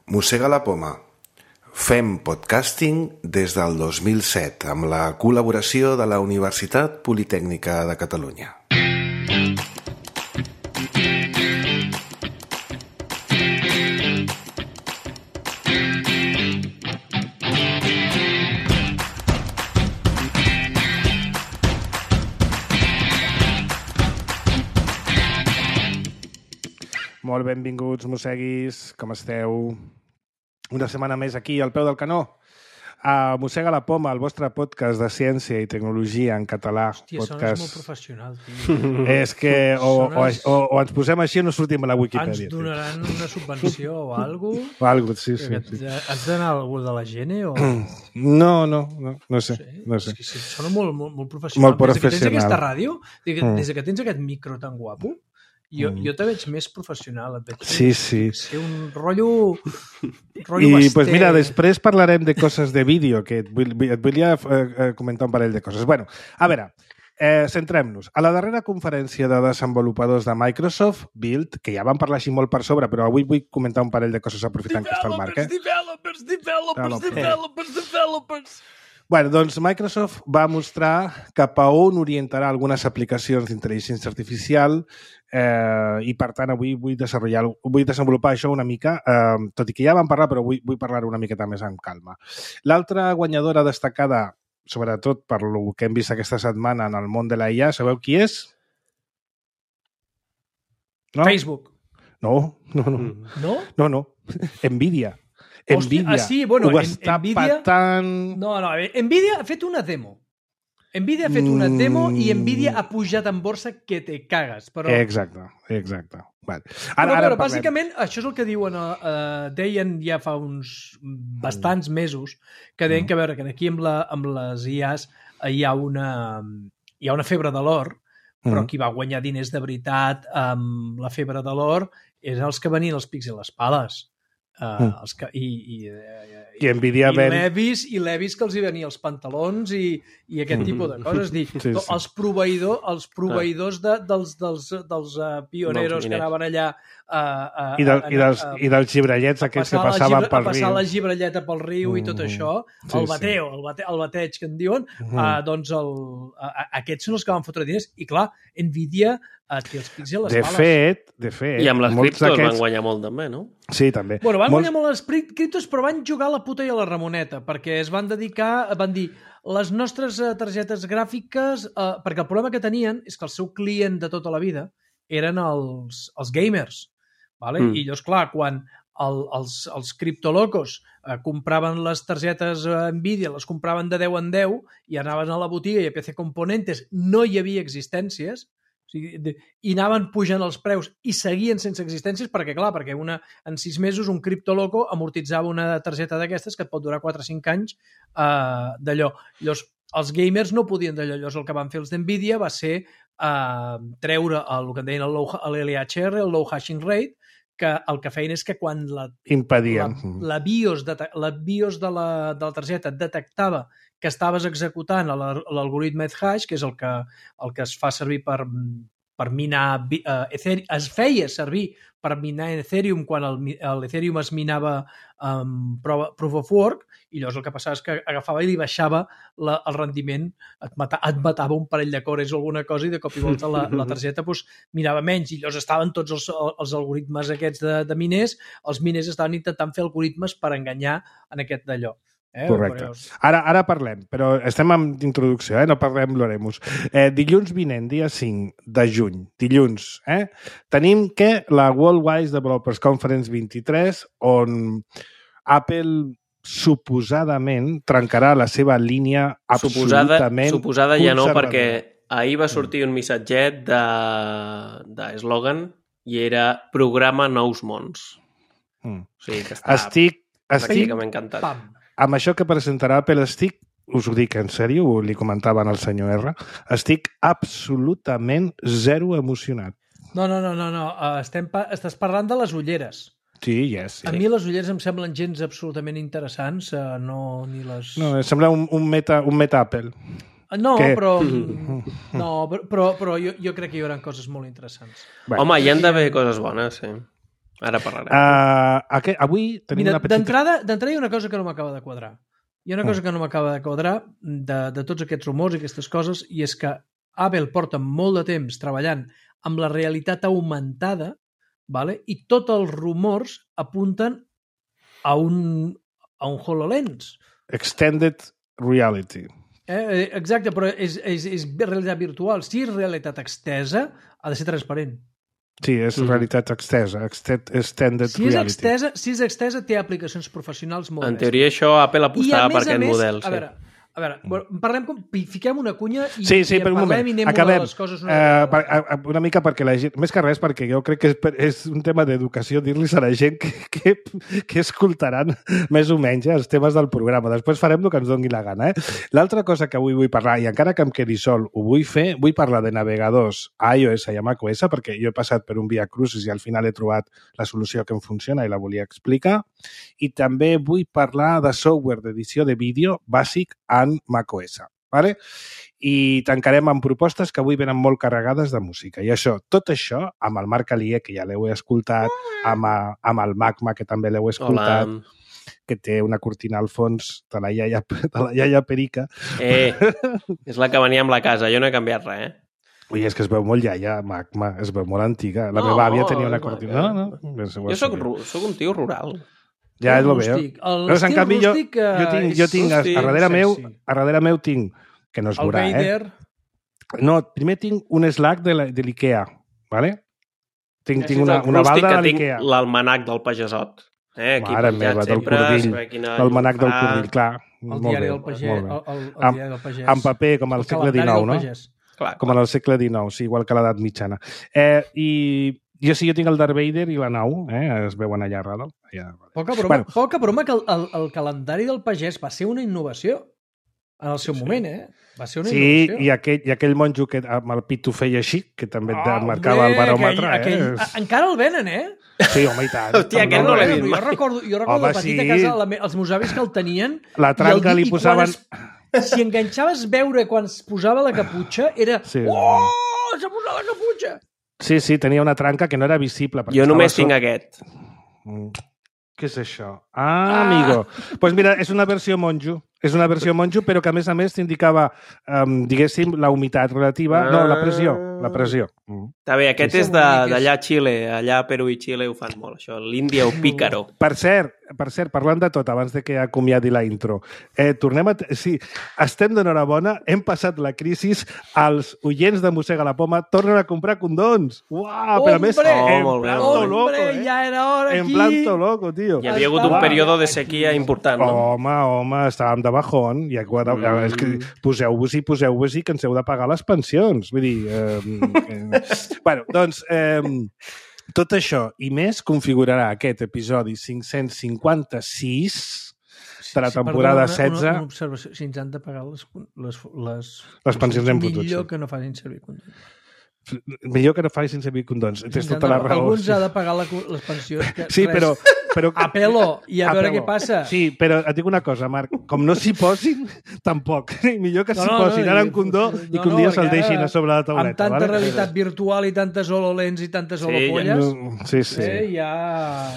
Mossega la poma. Fem podcasting des del 2007 amb la col·laboració de la Universitat Politècnica de Catalunya. Molt benvinguts, mosseguis, com esteu? Una setmana més aquí, al peu del canó. Mossega la poma, el vostre podcast de ciència i tecnologia en català. Hòstia, podcast... sones molt professional, tio. És que o ens posem així o no sortim a la Wikipedia. Ens donaran una subvenció o alguna cosa? O alguna cosa, sí. Has d'anar a algú de la Gene o...? No sé. És que sona molt professional. Molt professional. Des que tens aquesta ràdio, des que tens aquest micro tan guapo, jo te veig més professional. Et veig sí. Ser un rotllo I pues mira, després parlarem de coses de vídeo, que et volia comentar un parell de coses. Bueno, a veure, centrem-nos. A la darrera conferència de desenvolupadors de Microsoft, Build, que ja vam parlar així molt per sobre, però avui vull comentar un parell de coses aprofitant que està el Marc. Developers. Bueno, doncs Microsoft va mostrar cap a on orientarà algunes aplicacions d'intel·ligència artificial i, per tant, avui vull desenvolupar això una mica, tot i que ja vam parlar, però vull parlar una miqueta més amb calma. L'altra guanyadora destacada, sobretot per el que hem vist aquesta setmana en el món de la IA, sabeu qui és? No? Facebook. No. No? Nvidia. Nvidia sí, bueno, ho està Nvidia... patant... No, Nvidia ha fet una demo. Nvidia ha fet una demo i Nvidia ha pujat en borsa que te cagues. Però... Exacte. Vale. Ara bàsicament, això és el que diuen, deien ja fa uns bastants mesos, que deien que, a veure, que aquí amb les IAs hi ha una febre de l'or, però qui va guanyar diners de veritat amb la febre de l'or eren els que venien els pics i les pales. I Nvidia i Levis que els hi venia els pantalons i aquest tipus de coses. Sí. Els proveïdors dels pioneros que anaven allà i dels gibrellets aquests que passaven pel riu. Passar la gibrelleta pel riu i tot això, el bateig que en diuen, doncs aquests són els que van fotre diners. I clar, Nvidia té els pics i les pales. De fet... I amb les criptos van guanyar molt també, no? Sí, també. Bueno, van guanyar molt les criptos, però van jugar a la puta i a la Ramoneta, perquè es van dedicar, van dir, les nostres targetes gràfiques, perquè el problema que tenien és que el seu client de tota la vida eren els gamers, vale? I llavors, clar, quan els criptolocos compraven les targetes Nvidia, les compraven de 10 en 10 i anaven a la botiga i a PC Componentes no hi havia existències, i anaven pujant els preus i seguien sense existències perquè en 6 mesos un criptoloco amortitzava una targeta d'aquestes que et pot durar 4 o 5 anys d'allò. Llavors, els gamers no podien d'allò. Llavors, el que van fer els d'Nvidia va ser treure el que en deien l'LHR, el Low Hashing Rate, que el que feien és que quan la BIOS de la targeta detectava que estaves executant l'algoritme Ethash, que és el que es fa servir per minar Ethereum, es feia servir per minar Ethereum quan l'Ethereum es minava Proof of Work, i llavors el que passava és que agafava i li baixava el rendiment, et matava un parell de cores o alguna cosa i de cop i volta la targeta minava menys, i llavors estaven tots els algoritmes aquests de miners, els miners estaven intentant fer algoritmes per enganyar en aquest d'allò. Correcte. Ara parlem, però estem en introducció, no parlem l'Oremus. Dilluns vinent, dia 5 de juny, dilluns, tenim la Worldwide Developers Conference 23, on Apple suposadament trencarà la seva línia absolutament Suposada ja no, perquè ahir va sortir un missatget d'eslògan i era programa nous mons. O sigui que estic pràcticament encantat. Amb això que presentarà Apple us ho dic en sèrio, li comentaven al senyor R, estic absolutament zero emocionat. No. Estàs parlant de les ulleres. Sí, yes. A mi les ulleres em semblen gens absolutament interessants, No, em sembla un meta Apple. No, però jo crec que hi haurà coses molt interessants. Home, hi han d'haver coses bones, sí. Ara parlarem. Avui tenim una petita... D'entrada hi ha una cosa que no m'acaba de quadrar. Hi ha una cosa que no m'acaba de quadrar de tots aquests rumors i aquestes coses, i és que Apple porta molt de temps treballant amb la realitat augmentada, vale? I tots els rumors apunten a un HoloLens. Extended Reality. Exacte, però és realitat virtual. Si és realitat extesa, ha de ser transparent. Sí, és realitat extesa, extended reality. Si és extesa, té aplicacions professionals molt En teoria, això Apple apostava per aquest model. A veure, parlem fiquem una cunya i per un parlem moment. I anem Acabem. a les coses una mica perquè la gent, més que res perquè jo crec que és un tema d'educació dir-los a la gent que escoltaran més o menys els temes del programa. Després farem el que ens doni la gana. L'altra cosa que avui vull parlar, i encara que em quedi sol, ho vull parlar de navegadors a iOS i a macOS, perquè jo he passat per un via crucis i al final he trobat la solució que em funciona i la volia explicar. I també vull parlar de software d'edició de vídeo bàsic en macOS, ¿vale? I tancarem amb propostes que avui venen molt carregades de música. I tot això, amb el Marc Alier, que ja l'heu escoltat, amb el Magma, que també l'heu escoltat, que té una cortina al fons de la iaia Perica. És la que venia amb la casa, jo no he canviat res, Ui, és que es veu molt iaia, Magma, es veu molt antiga. La meva àvia tenia una cortina. Jo soc un tio rural. Ja és el veu. En canvi, jo tinc a darrere meu tinc, que no es veurà, No, primer tinc un Slack de l'Ikea, ¿vale? Tinc una balda de l'Ikea. L'almanac del pagesot. Mare meva, del cordill. L'almanac del cordill, clar. El diari del pagès. En paper, com al segle XIX, no? Com en el segle XIX, sí, igual que l'edat mitjana. I jo tinc el Darth Vader i la nau, es veuen allà a dalt. Poca broma que el calendari del pagès va ser una innovació en el seu moment, Va ser una innovació. Sí, i aquell monjo que amb el pit ho feia així, que també marcava el baròmetre. Encara el venen, Sí, home, i tant. Hòstia, aquest no l'he vist mai. Jo recordo de petit a casa, els meus avis que el tenien... La tranca li posaven... Si enganxaves veure quan es posava la caputxa, era... Oh, s'ha posat la caputxa! Sí, tenia una tranca que no era visible. Jo només tinc aquest. Què és això? Amigo. Doncs mira, és una versió monjo. És una versió monjo, però que a més t'indicava, diguéssim, la humitat relativa. No, la pressió. Està bé, aquest és d'allà a Xile. Allà a Perú i Xile ho fan molt, això. L'Índia o pícaro. Per cert, parlant de tot, abans de que acomiadi la intro, tornem a... Sí, estem d'enhorabona, hem passat la crisi, els oients de Mossega la Poma tornen a comprar condons. Uau, però a més, en planto loco, ja era hora aquí. En planto loco, tio. Hi havia hagut un període de sequia important, no? Home, estàvem de bajón. És que poseu-vos-hi que ens heu de pagar les pensions. Vull dir... doncs... Tot això i més configurarà aquest episodi 556 de la temporada 16. Una observació. Si ens han de pagar les pensions hem fotut. Millor que no facin servir condons. Millor que no facin servir condons. Tens tota la raó. Alguns ha de pagar les pensions. Sí, però a pelo i a veure què passa. Sí, però et dic una cosa, Marc. Com no s'hi posin, tampoc. Millor que s'hi posin ara en condó i que un dia se'l deixin a sobre la tauleta. Amb tanta realitat virtual i tantes HoloLens i tantes holopolles,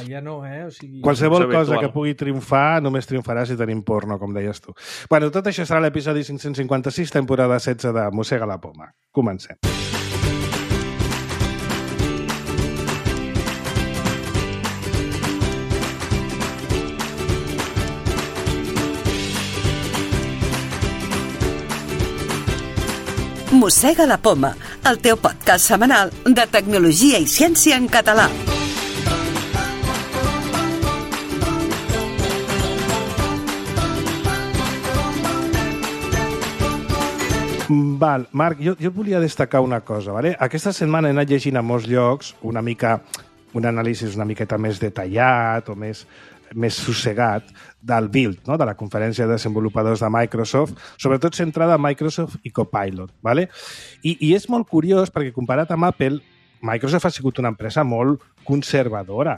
ja no, O sigui... Qualsevol cosa que pugui triomfar només triomfarà si tenim porno, com deies tu. Bueno, tot això serà l'episodi 556, temporada 16 de Mossega la Poma. Comencem. Mossega la Poma, el teu podcast setmanal de tecnologia i ciència en català. Val, Marc, jo volia destacar una cosa. Vale? Aquesta setmana he anat llegint a molts llocs un anàlisi una miqueta més detallat o més sossegat del Build, no? De la conferència de desenvolupadors de Microsoft, sobretot centrada en Microsoft i Copilot. ¿Vale? I és molt curiós perquè comparat amb Apple, Microsoft ha sigut una empresa molt conservadora.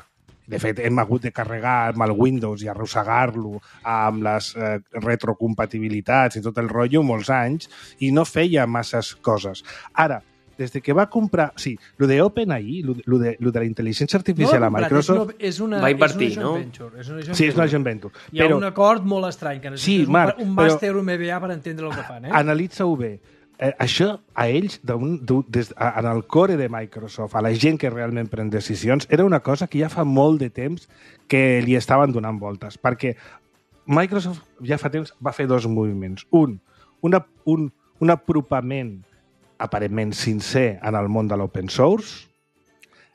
De fet, hem hagut de carregar amb el Windows i arrossegar-lo amb les retrocompatibilitats i tot el rotllo molts anys i no feia masses coses. Ara, des que va comprar... Sí, lo de OpenAI, lo de la intel·ligència artificial a Microsoft... Va invertir, no? Sí, és una joint venture. Hi ha un acord molt estrany, que necessites un màster, un MBA per entendre el que fan. Analitza-ho bé. Això, a ells, en el core de Microsoft, a la gent que realment pren decisions, era una cosa que ja fa molt de temps que li estaven donant voltes, perquè Microsoft ja fa temps va fer dos moviments. Un apropament aparentment sincer en el món de l'open source,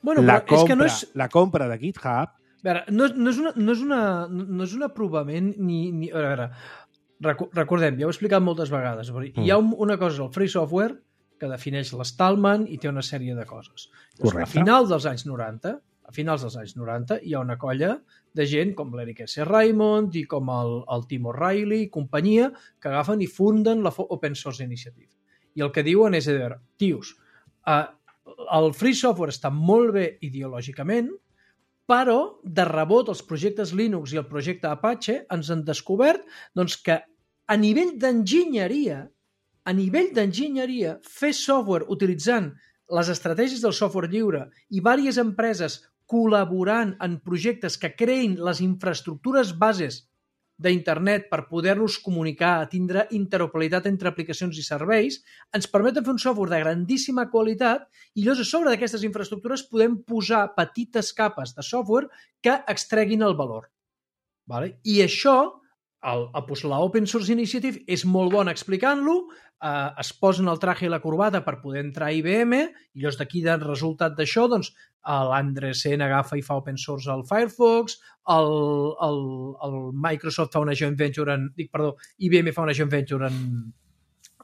la compra de GitHub... A veure, no és un apropament ni... A veure, recordem, ja ho he explicat moltes vegades, hi ha una cosa, el free software, que defineix l'Stallman i té una sèrie de coses. Correcte. A finals dels anys 90, hi ha una colla de gent com l'Eric S. Raymond i com el Tim O'Reilly i companyia que agafen i funden la Open Source Initiative. I el que diuen és, tios, el free software està molt bé ideològicament, però, de rebot, els projectes Linux i el projecte Apache ens han descobert que a nivell d'enginyeria, fer software utilitzant les estratègies del software lliure i diverses empreses col·laborant en projectes que creïn les infraestructures bases d'internet per poder-nos comunicar, tindre interoperabilitat entre aplicacions i serveis, ens permeten fer un software de grandíssima qualitat i llavors a sobre d'aquestes infraestructures podem posar petites capes de software que extreguin el valor. I això, la Open Source Initiative és molt bona explicant-lo, es posen el traje i la corbata per poder entrar a IBM i llavors d'aquí del resultat d'això l'Andresen agafa i fa open source al Firefox, el Microsoft fa una joint venture IBM fa una joint venture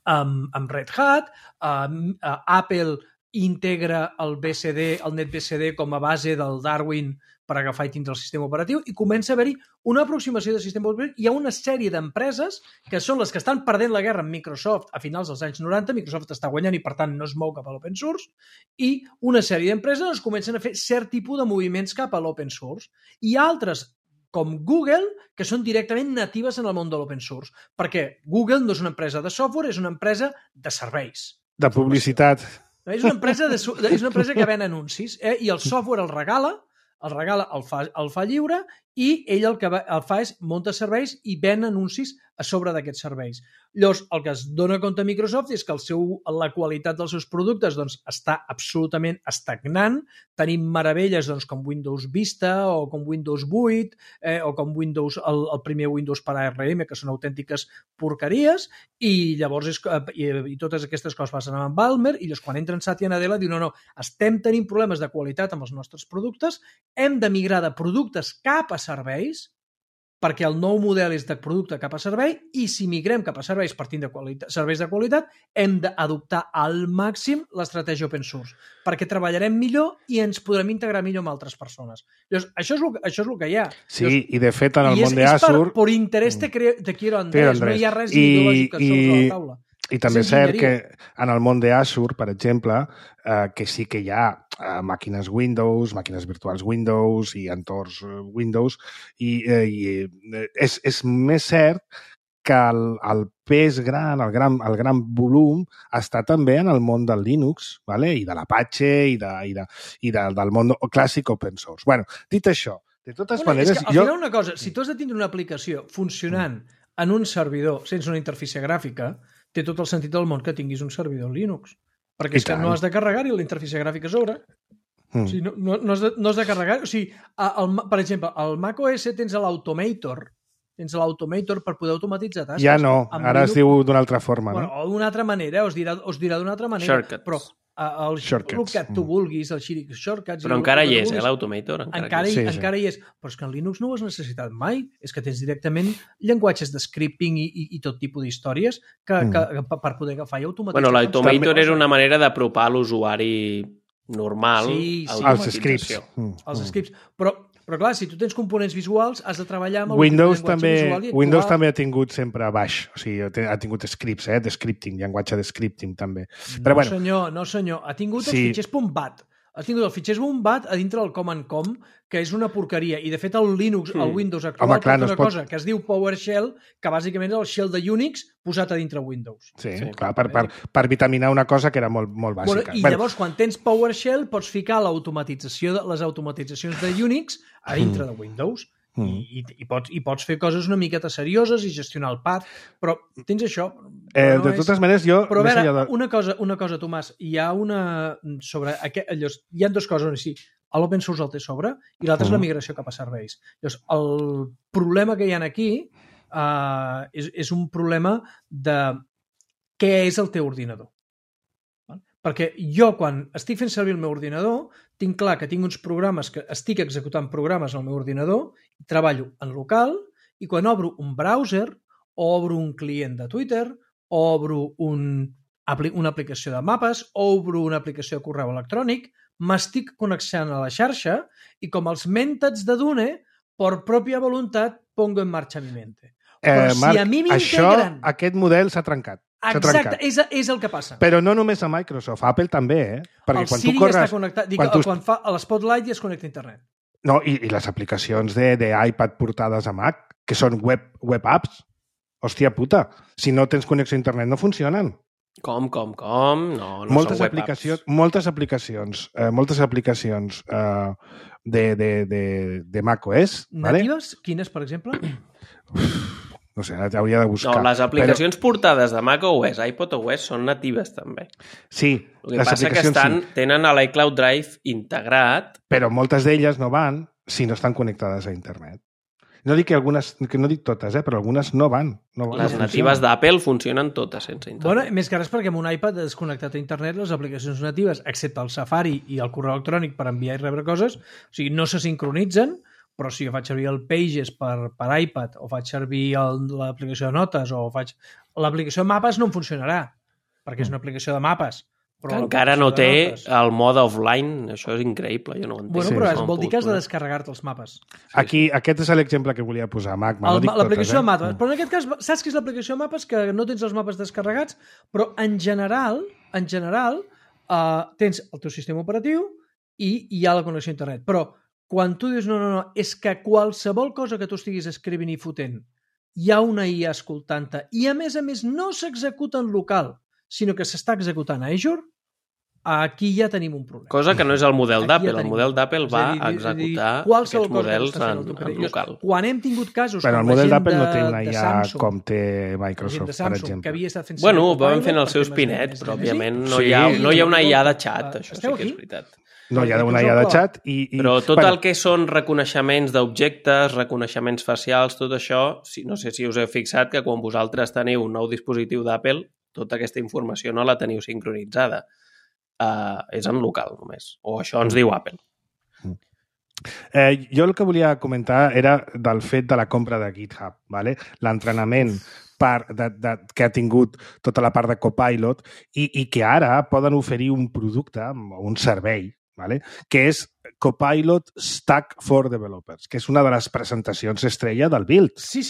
amb Red Hat, Apple integra el BSD, el NetBSD com a base del Darwin per agafar i tindre el sistema operatiu i comença a haver-hi una aproximació del sistema operatiu. Hi ha una sèrie d'empreses que són les que estan perdent la guerra amb Microsoft a finals dels anys 90. Microsoft està guanyant i, per tant, no es mou cap a l'open source i una sèrie d'empreses comencen a fer cert tipus de moviments cap a l'open source. I altres, com Google, que són directament natives en el món de l'open source, perquè Google no és una empresa de software, és una empresa de serveis. De publicitat. És una empresa que ven anuncis i el software el regala, el fa lliure i ell el que fa és munta serveis i ven anuncis a sobre d'aquests serveis. Llavors, el que es dona compte a Microsoft és que la qualitat dels seus productes està absolutament estagnant. Tenim meravelles com Windows Vista o com Windows 8 o com el primer Windows per ARM, que són autèntiques porqueries, i llavors i totes aquestes coses passen amb Balmer i llavors quan entra en Satya Nadella diu no, estem tenint problemes de qualitat amb els nostres productes, hem de migrar de productes cap a serveis perquè el nou model és de producte cap a servei i si migrem cap a serveis partint de serveis de qualitat hem d'adoptar al màxim l'estratègia open source perquè treballarem millor i ens podrem integrar millor amb altres persones. Llavors, això és el que hi ha. Sí, i de fet en el món d'Azure... Per interès te quiero Andrés, no hi ha res ideològic sobre la taula. I també és cert que en el món d'Azure, per exemple, que sí que hi ha màquines Windows, màquines virtuals Windows i entorns Windows, i és més cert que el pes gran, el gran volum, està també en el món del Linux, i de l'Apache i del món clàssic open source. Bueno, dit això, de totes maneres... Al final una cosa, si tu has de tindre una aplicació funcionant en un servidor sense una interfície gràfica, té tot el sentit del món que tinguis un servidor Linux. Perquè és que no has de carregar-hi la interfície gràfica a sobre. O sigui, no has de carregar... O sigui, per exemple, al macOS tens l'Automator. Tens l'Automator per poder automatitzar tasques. Ja no, ara es diu d'una altra forma. Bueno, o d'una altra manera, us dirà d'una altra manera. Shortcuts. Però el que tu vulguis, el Shortcuts... Però encara hi és, l'Automator. Encara hi és. Però és que en Linux no ho has necessitat mai. És que tens directament llenguatges de scripting i tot tipus d'històries per poder agafar i automatitzar. Bueno, l'Automator era una manera d'apropar l'usuari normal als scripts. Els scripts. Però clar, si tu tens components visuals, has de treballar amb el llenguatge visual. Windows també ha tingut sempre baix, o sigui, ha tingut scripts, de scripting, llenguatge de scripting també. Però, no senyor, ha tingut els fitxers .bat. has tingut el fitxer bombat a dintre del Command Com, que és una porqueria. I, de fet, el Linux, el Windows actual, clar, té una cosa que es diu PowerShell, que bàsicament és el shell de Unix posat a dintre Windows. Sí, clar, per vitaminar una cosa que era molt bàsica. I llavors, quan tens PowerShell, pots ficar les automatitzacions de Unix a dintre de Windows. I pots fer coses una miqueta serioses i gestionar el path, però tens això. De totes maneres, jo... Però a veure, una cosa, Tomàs, hi ha dues coses, sí. L'open source el té sobre i l'altre és la migració cap a serveis. Llavors, el problema que hi ha aquí és un problema de què és el teu ordinador. Perquè jo, quan estic fent servir el meu ordinador, tinc clar que tinc uns programes, que estic executant programes al meu ordinador, i treballo en local, i quan obro un browser, o obro un client de Twitter, o obro una aplicació de mapes, o obro una aplicació de correu electrònic, m'estic connectant a la xarxa, i com els mèntats de Dune, per pròpia voluntat, pongo en marxa mi mente. Però Marc, si a mi m'integren... aquest model s'ha trencat. Exacte, és el que passa. Però no només a Microsoft, Apple també, Perquè el quan Siri tu corres... està connectat, quan fa l'Spotlight ja es connecta a internet. No, i les aplicacions d'iPad portades a Mac, que són web apps. Hòstia puta, si no tens connexió a internet no funcionen. Com? No moltes són web aplicacions, apps. moltes aplicacions de macOS. Natives? Vale? Quines, per exemple? No sé, hauria de buscar. No, les aplicacions portades de macOS, iPadOS són natives també. Sí. El que passa que tenen a l'iCloud Drive integrat. Però moltes d'elles no van si no estan connectades a internet. No dic que algunes, que no dic totes, però algunes no van. Les natives d'Apple funcionen totes sense internet. Bueno, més que res perquè amb un iPad desconnectat a internet les aplicacions natives, excepte el Safari i el correu electrònic per enviar i rebre coses, o sigui, no se sincronitzen, però si jo faig servir el Pages per iPad o faig servir l'aplicació de notes o faig... L'aplicació de mapes no em funcionarà, perquè és una aplicació de mapes. Que encara no té el mode offline, això és increïble, jo no ho entenc. Bueno, però vol dir que has de descarregar-te els mapes. Aquí, aquest és l'exemple que volia posar, Mac. L'aplicació de mapes. Però en aquest cas, saps què és l'aplicació de mapes? Que no tens els mapes descarregats, però en general, tens el teu sistema operatiu i hi ha la connexió a internet. Però quan tu dius no, és que qualsevol cosa que tu estiguis escrivint i fotent hi ha una IA escoltant-te i a més no s'executa en local, sinó que s'està executant a Azure, aquí ja tenim un problema. Cosa que no és el model d'Apple. El model d'Apple va executar aquests models en local. Quan hem tingut casos com la gent de Samsung... el model d'Apple no té una IA com té Microsoft, per exemple. Que havia estat fent bueno, van fent els seus pinets, però òbviament no hi ha una IA de xat, això sí que és veritat. No, hi ha una IA de xat i... Però tot el que són reconeixements d'objectes, reconeixements facials, tot això, no sé si us heu fixat que quan vosaltres teniu un nou dispositiu d'Apple, tota aquesta informació no la teniu sincronitzada. És en local només, o això ens diu Apple. Jo el que volia comentar era del fet de la compra de GitHub, ¿vale? L'entrenament que ha tingut tota la part de Copilot i que ara poden oferir un producte o un servei, ¿vale? Que és Copilot Stack for Developers, que és una de les presentacions estrella del Build. Sí,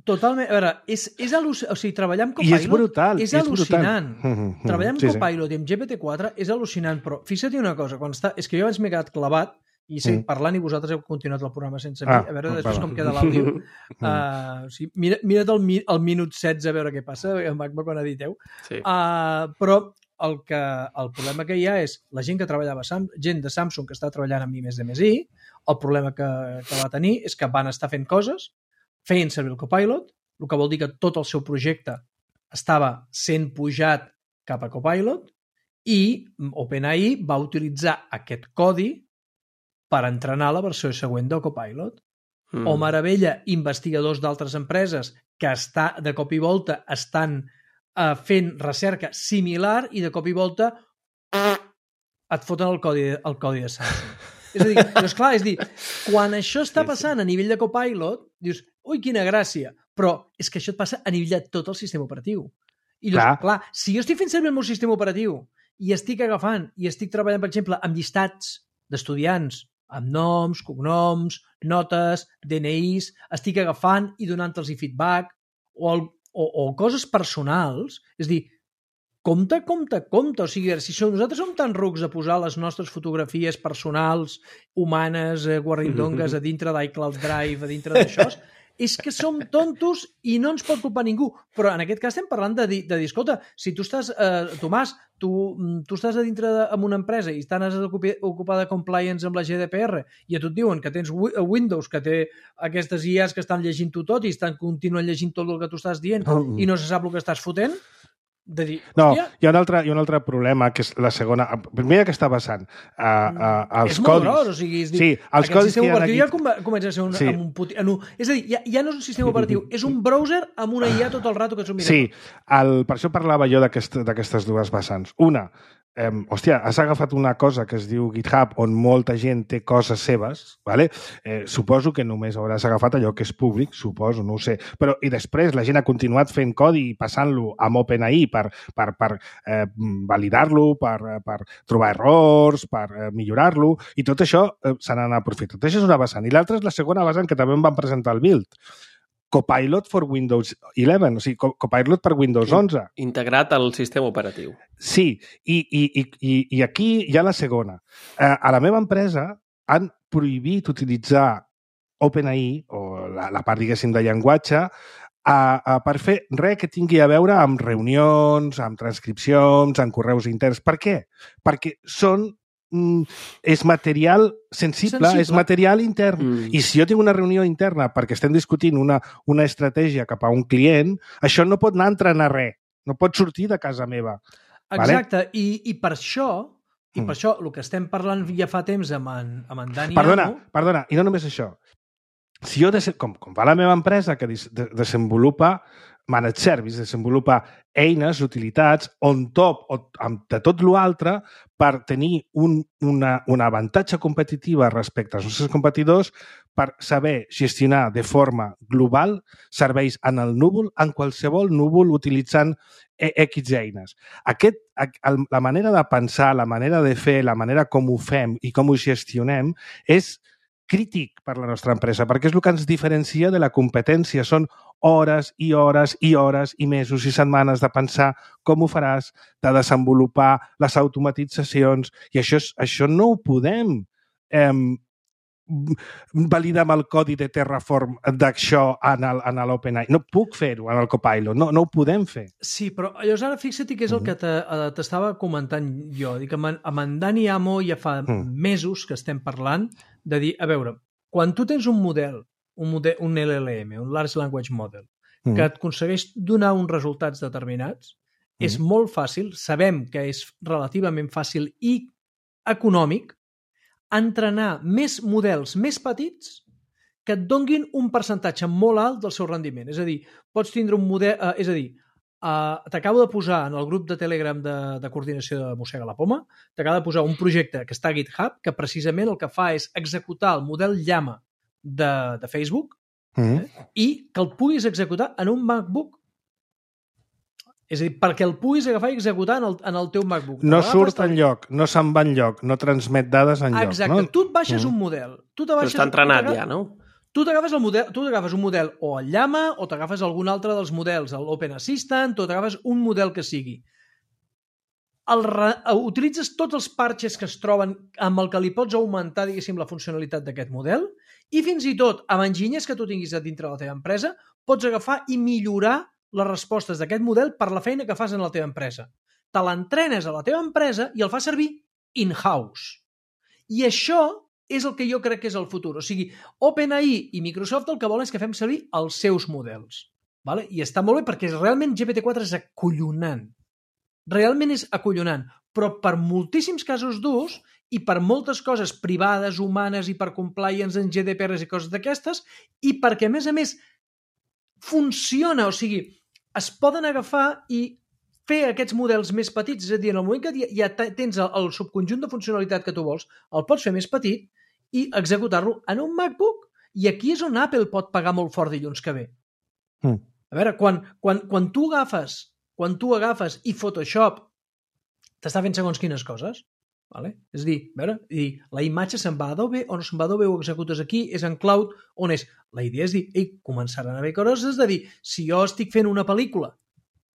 totalment. A veure, o sigui, treballar amb Copilot és brutal, és al·lucinant. Treballar amb Copilot i amb GPT-4 és al·lucinant, però fixa't una cosa, és que jo abans m'he quedat clavat i parlant i vosaltres heu continuat el programa sense mi, a veure després com queda l'àudio. Mira't el minut 16 a veure què passa, quan editeu. Però el problema que hi ha és la gent que treballava, gent de Samsung que està treballant amb I+D+I, el problema que va tenir és que van estar fent coses, feien servir el Copilot, el que vol dir que tot el seu projecte estava sent pujat cap a Copilot i OpenAI va utilitzar aquest codi per entrenar la versió següent de Copilot. O meravella, investigadors d'altres empreses que de cop i volta estan fent recerca similar i de cop i volta et foten el codi de Samsung. És a dir, quan això està passant a nivell de Copilot, dius, ui, quina gràcia, però és que això et passa a nivell de tot el sistema operatiu. I dius, clar, si jo estic fent servir el meu sistema operatiu i estic agafant i estic treballant, per exemple, amb llistats d'estudiants, amb noms, cognoms, notes, DNIs, estic agafant i donant-los feedback o coses personals, és a dir, compte. O sigui, si nosaltres som tan rucs a posar les nostres fotografies personals, humanes, guarrindongues, a dintre d'iCloud Drive, a dintre d'això, és que som tontos i no ens pot culpar ningú. Però en aquest cas estem parlant de dir, escolta, si tu estàs, Tomàs, tu estàs a dintre amb una empresa i estàs ocupada de compliance amb la GDPR i a tu et diuen que tens Windows, que té aquestes IAs que estan llegint-ho tot i continuen llegint tot el que tu estàs dient i no se sap el que estàs fotent, de dir, no, hi ha un altre problema, que és la segona... Primer, que està passant als codis... És molt gros, o sigui, és dir, sí, els aquest sistema operatiu aquí... ja comença a ser és a dir, ja no és un sistema operatiu, és un browser amb una IA tot el rato que s'ho mira. Sí, per això parlava jo d'aquestes dues vessants. Una, hòstia, has agafat una cosa que es diu GitHub on molta gent té coses seves, ¿vale? Suposo que només hauràs agafat allò que és públic, suposo, no ho sé. Però, i després la gent ha continuat fent codi i passant-lo amb OpenAI per validar-lo, per trobar errors, per millorar-lo, i tot això se n'ha aprofitat. Això és una vessant. I l'altra és la segona vessant, que també em van presentar el build. Copilot for Windows 11, o sigui, Copilot per Windows 11. Integrat al sistema operatiu. Sí, i aquí hi ha la segona. A la meva empresa han prohibit utilitzar OpenAI, o la part, diguéssim, de llenguatge, per fer res que tingui a veure amb reunions, amb transcripcions, amb correus interns. Per què? Perquè és material sensible, és material intern. I si jo tinc una reunió interna perquè estem discutint una estratègia cap a un client, això no pot anar a entrenar res, no pot sortir de casa meva. Exacte, vale? I per això, el que estem parlant ja fa temps amb en Dani... Perdona, i no només això. Si jo, com va la meva empresa, que desenvolupa Managed Service, desenvolupa eines, utilitats, on top, de tot l'altre, per tenir un avantatge competitiva respecte als nostres competidors, per saber gestionar de forma global serveis en el núvol, en qualsevol núvol, utilitzant X eines. La manera de pensar, la manera de fer, la manera com ho fem i com ho gestionem és crític per la nostra empresa, perquè és el que ens diferencia de la competència. Són hores i hores i hores i mesos i setmanes de pensar com ho faràs, de desenvolupar les automatitzacions, i això no ho podem validar amb el codi de Terraform d'això en l'OpenAI. No puc fer-ho en el Copilot, no ho podem fer. Sí, però llavors ara fixa't que és el que t'estava comentant jo. Dic, amb en Dani Amo ja fa mesos que estem parlant de dir, a veure, quan tu tens un model, un LLM, un Large Language Model, que et aconsegueix donar uns resultats determinats, és molt fàcil, sabem que és relativament fàcil i econòmic entrenar més models més petits que et donguin un percentatge molt alt del seu rendiment. És a dir, pots tindre un model... és a dir, t'acabo de posar en el grup de Telegram de coordinació de Mossega la Poma, t'acabo de posar un projecte que està a GitHub, que precisament el que fa és executar el model Llama de Facebook i que el puguis executar en un MacBook. És a dir, perquè el puguis agafar i executar en el teu MacBook. No surt enlloc, no se'n va enlloc, no transmet dades enlloc. Exacte, no? Tu et baixes un model. Però està entrenat ja, no? Tu t'agafes un model o el Llama o t'agafes algun altre dels models, l'Open Assistant, o t'agafes un model que sigui. Utilitzes tots els parches que es troben amb el que li pots augmentar, diguéssim, la funcionalitat d'aquest model i fins i tot amb enginyers que tu tinguis a dintre de la teva empresa pots agafar i millorar les respostes d'aquest model per la feina que fas en la teva empresa. Te l'entrenes a la teva empresa i el fas servir in-house. I això és el que jo crec que és el futur. O sigui, OpenAI i Microsoft el que volen és que fem servir els seus models. Vale? I està molt bé perquè realment GPT-4 és acollonant. Realment és acollonant. Però per moltíssims casos d'ús i per moltes coses privades, humanes i per compliance en GDPR i coses d'aquestes, i perquè, a més, funciona, o sigui, es poden agafar i fer aquests models més petits, és a dir, en el moment que ja tens el subconjunt de funcionalitat que tu vols, el pots fer més petit i executar-lo en un MacBook. I aquí és on Apple pot pagar molt fort dilluns que ve. A veure, quan tu agafes i Photoshop t'està fent segons quines coses, vale? És a dir, la imatge se'n va a Adobe o no se'n va a Adobe, ho executes aquí, és en cloud, on és? La idea és dir, començaran a haver coses de dir, si jo estic fent una pel·lícula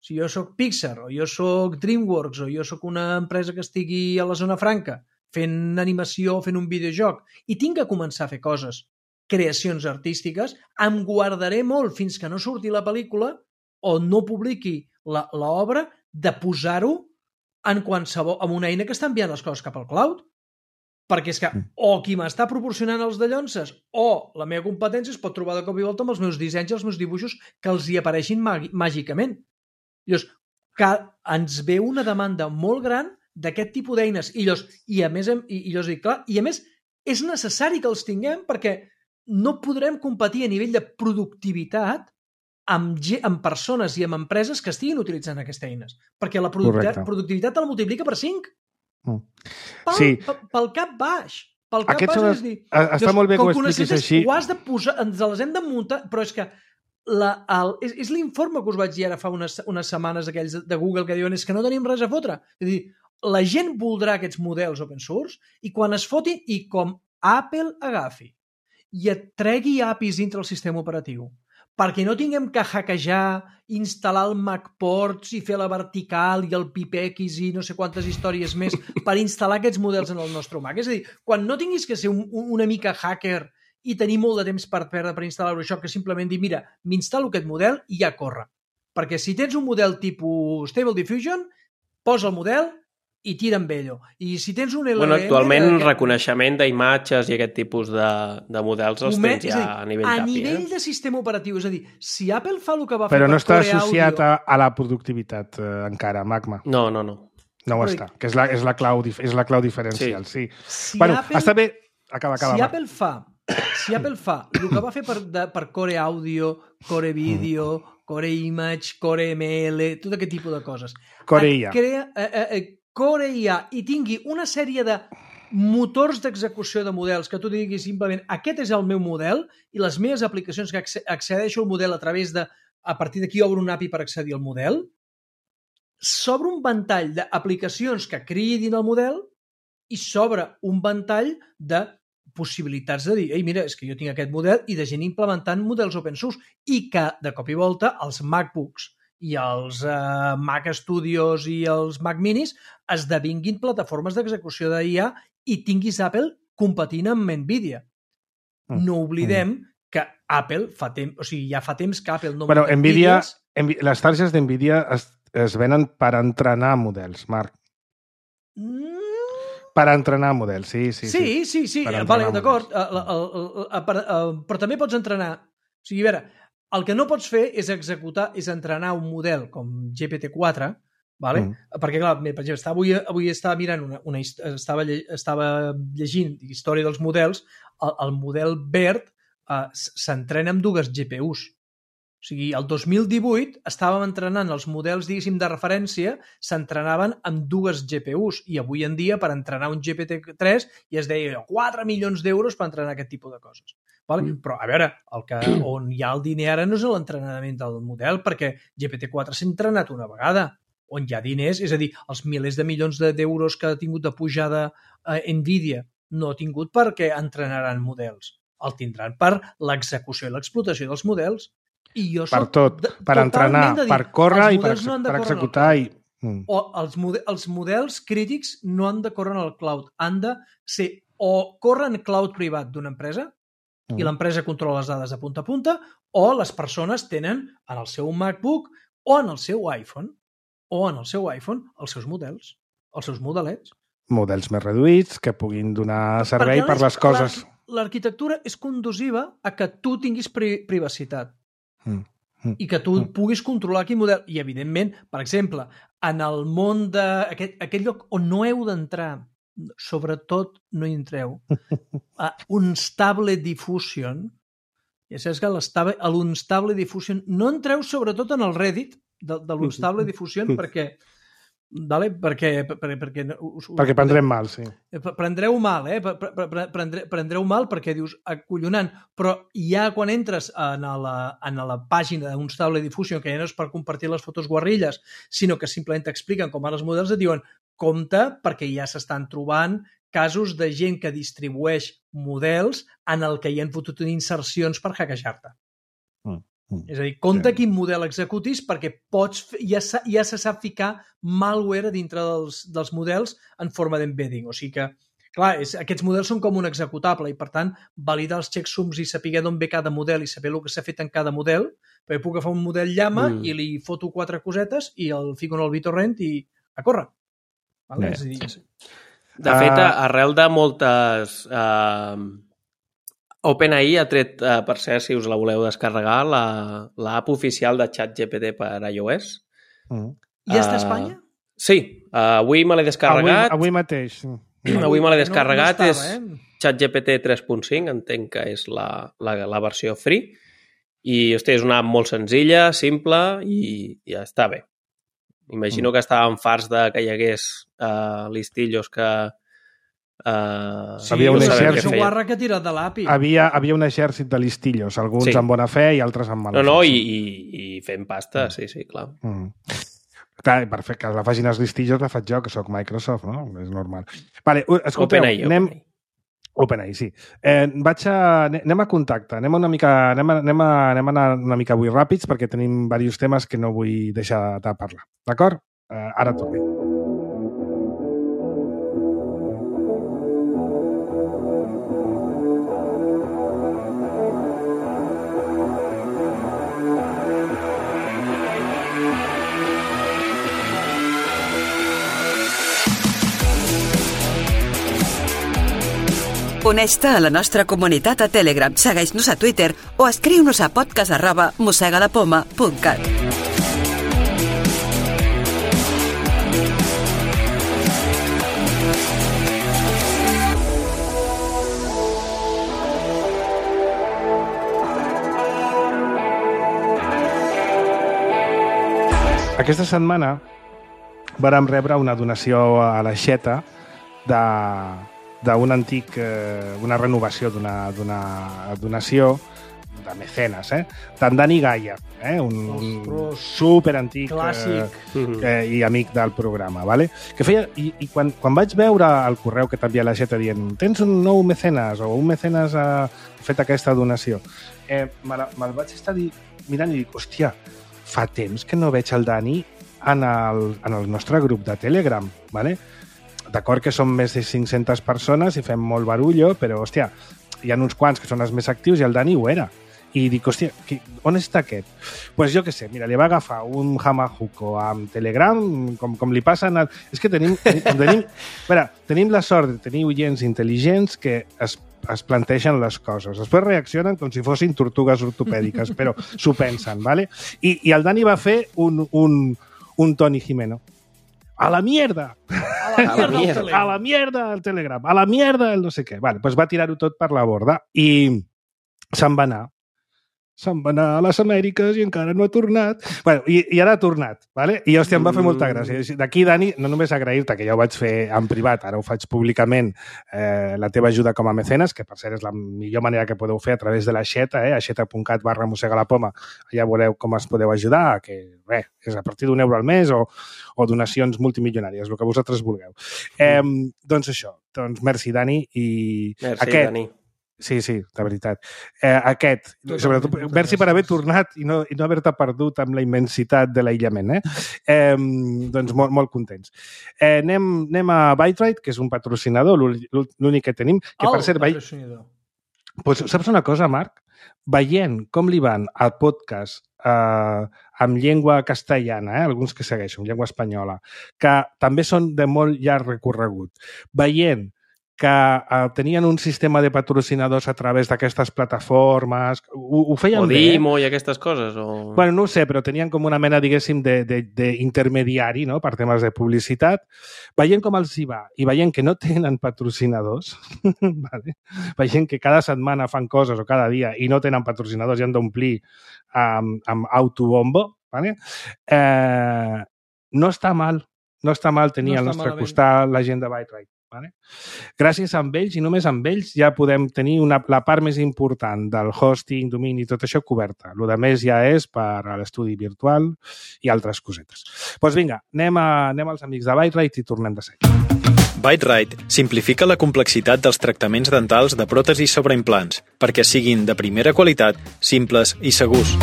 Si jo sóc Pixar, o jo sóc DreamWorks, o jo sóc una empresa que estigui a la zona franca fent animació, fent un videojoc, i tinc que començar a fer coses, creacions artístiques, em guardaré molt fins que no surti la pel·lícula o no publiqui l'obra de posar-ho en qualsevol, amb una eina que està enviant les coses cap al cloud. Perquè és que o qui m'està proporcionant els dallonses o la meva competència es pot trobar de cop i volta amb els meus dissenys i els meus dibuixos que els hi apareixin màgicament. Llavors, que ens ve una demanda molt gran d'aquest tipus d'eines i a més és necessari que els tinguem perquè no podrem competir a nivell de productivitat amb persones i amb empreses que estiguin utilitzant aquestes eines. Perquè la productivitat te la multiplica per 5. Pel cap baix. Està molt bé que ho expliquis així. Ens les hem de muntar, però és que és l'informe que us vaig dir ara fa unes setmanes aquells de Google que diuen és que no tenim res a fotre. És a dir, la gent voldrà aquests models open source i quan es fotin i com Apple agafi i et tregui APIs dintre el sistema operatiu perquè no tinguem que hackejar, instal·lar el MacPorts i fer la vertical i el PIPX i no sé quantes històries més per instal·lar aquests models en el nostre Mac. És a dir, quan no tinguis que ser una mica hacker i tenir molt de temps per perdre per instal·lar-ho això, que simplement dir, mira, m'instal·lo aquest model i ja corre. Perquè si tens un model tipus Stable Diffusion, posa el model i tira amb ell. I si tens un LLM... Actualment reconeixement d'imatges i aquest tipus de models els tens ja a nivell d'API. A nivell de sistema operatiu, és a dir, si Apple fa el que va fer per Core Audio... Però no està associat a la productivitat encara, Magma. No. No ho està, que és la clau diferencial, sí. Bueno, està bé... Acaba. Si Apple fa el que va fer per Core Audio, Core Video, Core Image, Core ML, tot aquest tipus de coses. Core IA. Core IA i tingui una sèrie de motors d'execució de models que tu diguis simplement aquest és el meu model i les meves aplicacions que accedeixo al model a partir d'aquí obro un API per accedir al model, s'obre un ventall d'aplicacions que cridin el model i s'obre un ventall de possibilitats de dir, ei, mira, és que jo tinc aquest model i de gent implementant models open source i que, de cop i volta, els MacBooks i els Mac Studios i els Mac Minis esdevinguin plataformes d'execució d'IA i tinguis Apple competint amb NVIDIA. No oblidem que Apple ja fa temps que Apple no... Bueno, les targes d'NVIDIA es venen per entrenar models, Marc. Per entrenar models, sí. Sí, vale, d'acord. Però també pots entrenar... O sigui, a veure, el que no pots fer és entrenar un model com GPT-4, vale? Perquè, clar, per exemple, avui estava mirant estava llegint història dels models, el model BERT s'entrena amb 2 GPUs. O sigui, el 2018 estàvem entrenant els models, diguéssim, de referència, s'entrenaven amb 2 GPUs i avui en dia per entrenar un GPT-3 ja es deia 4 milions d'euros per entrenar aquest tipus de coses. Vale? Però, a veure, on hi ha el diner ara no és l'entrenament del model perquè GPT-4 s'ha entrenat una vegada. On hi ha diners, és a dir, els milers de milions d'euros que ha tingut de pujada NVIDIA no ha tingut perquè entrenaran models. El tindran per l'execució i l'explotació dels models. Per tot, per entrenar, per córrer i per executar. O els models crítics no han de córrer en el cloud, han de ser o córrer en cloud privat d'una empresa i l'empresa controla les dades de punta a punta o les persones tenen en el seu MacBook o en el seu iPhone els seus models, els seus modelets. Models més reduïts que puguin donar servei per les coses. L'arquitectura és conduciva a que tu tinguis privacitat. I que tu puguis controlar quin model. I, evidentment, per exemple, en el món d'aquest lloc on no heu d'entrar, sobretot no hi entreu, Unstable Diffusion, ja saps que l'Unstable Diffusion, no entreu sobretot en el Reddit de l'Unstable Diffusion perquè prendrem mal, sí. Prendreu mal, prendreu mal perquè dius, acollonant, però ja quan entres en la pàgina d'Unstable Diffusion, que ja no és per compartir les fotos guarrilles, sinó que simplement t'expliquen com van els models, et diuen, compte, perquè ja s'estan trobant casos de gent que distribueix models en el que hi han fotut insercions per hackejar-te. És a dir, compte quin model executis perquè ja se sap ficar malware a dintre dels models en forma d'embedding. O sigui que, clar, aquests models són com un executable i, per tant, validar els checksums i saber d'on ve cada model i saber el que s'ha fet en cada model, perquè puc agafar un model llama i li foto 4 cosetes i el fico en el BitTorrent i a córrer. Vale? És a dir, de fet, arrel de moltes... OpenAI ha tret, per cert, si us la voleu descarregar, l'app oficial de ChatGPT per iOS. I està a Espanya? Sí, avui me l'he descarregat. Avui mateix. Avui me l'he descarregat. No estava, és ChatGPT 3.5, entenc que és la versió free. I, hosti, és una app molt senzilla, simple i ja està bé. Imagino que estàvem farts que hi hagués listillos que... havia un exèrcit que ha tirat de l'API. Havia un exèrcit de listillos, alguns amb bona fe i altres amb mala fe. No, i fent pasta, sí, clar. Clar, perfecte, que la facin els listillos la faig jo, que sóc Microsoft, no? És normal. Vale, escolteu, OpenAI, sí. Anem a contacte, anem a anar una mica avui ràpids perquè tenim diversos temes que no vull deixar de parlar. D'acord? Ara tornem. Uneix-te a la nostra comunitat a Telegram, segueix-nos a Twitter o escriu-nos a podcast@mossegadapoma.cat. Aquesta setmana vàrem rebre una donació a l'Aixeta d'un antic, una renovació d'una donació de mecenes, d'en Dani Gaia, un superantic i amic del programa, vale? Que feia, i quan vaig veure el correu que t'envia l'Aixeta dient tens un nou mecenes o un mecenes ha fet aquesta donació, me'l vaig estar mirant i dic, hòstia, fa temps que no veig el Dani en el nostre grup de Telegram, vale? D'acord que som més de 500 persones i fem molt barullo, però, hòstia, hi ha uns quants que són els més actius i el Dani ho era. I dic, hòstia, on està aquest? Doncs pues jo què sé, mira, li va agafar un Hamahuko amb Telegram, com li passen... És que tenim la sort de tenir oients intel·ligents que es planteixen les coses. Després reaccionen com si fossin tortugues ortopèdiques, però s'ho pensen, ¿vale? I el Dani va fer un Toni Jimeno. A la mierda! A la mierda el Telegram! A la mierda el no sé què. Vale, doncs va tirar-ho tot per la borda i se'n va anar. Se'n va anar a les Amèriques i encara no ha tornat. Bueno, i ara ha tornat, ¿vale? I, hòstia, em va fer molta gràcia. D'aquí, Dani, no només agrair-te, que ja ho vaig fer en privat, ara ho faig públicament, la teva ajuda com a mecenes, que per cert és la millor manera que podeu fer a través de l'Aixeta, aixeta.cat/mossegalapoma. Allà veureu com es podeu ajudar, que és a partir d'€1 al mes o donacions multimilionàries, el que vosaltres vulgueu. Doncs això, merci, Dani. Merci, Dani. Sí, de veritat. Sobretot, merci per haver tornat i no haver-te perdut amb la immensitat de l'aïllament. Doncs molt contents. Anem a Byte-Rite, que és un patrocinador, l'únic que tenim. Que, per cert, pues, saps una cosa, Marc? Veient com li van al podcast amb llengua castellana, alguns que segueixen, llengua espanyola, que també són de molt llarg recorregut, veient que tenien un sistema de patrocinadors a través d'aquestes plataformes. Ho feien bé. O Dimo i aquestes coses? O... Bueno, no ho sé, però tenien com una mena, diguéssim, d'intermediari, no?, per temes de publicitat. Veient com els hi va i veient que no tenen patrocinadors, vale? Veient que cada setmana fan coses o cada dia i no tenen patrocinadors i han d'omplir amb autobombo, vale? No està mal tenir al nostre costat la gent de Byte-Rite. Vale? Gràcies a ells i només amb ells ja podem tenir la part més important del hosting, domini i tot això coberta. El que més ja és per a l'estudi virtual i altres cosetes. Doncs vinga, anem als amics de Byte-Rite i tornem de seguida. Bite-Rite simplifica la complexitat dels tractaments dentals de pròtesis sobre implants perquè siguin de primera qualitat, simples i segurs.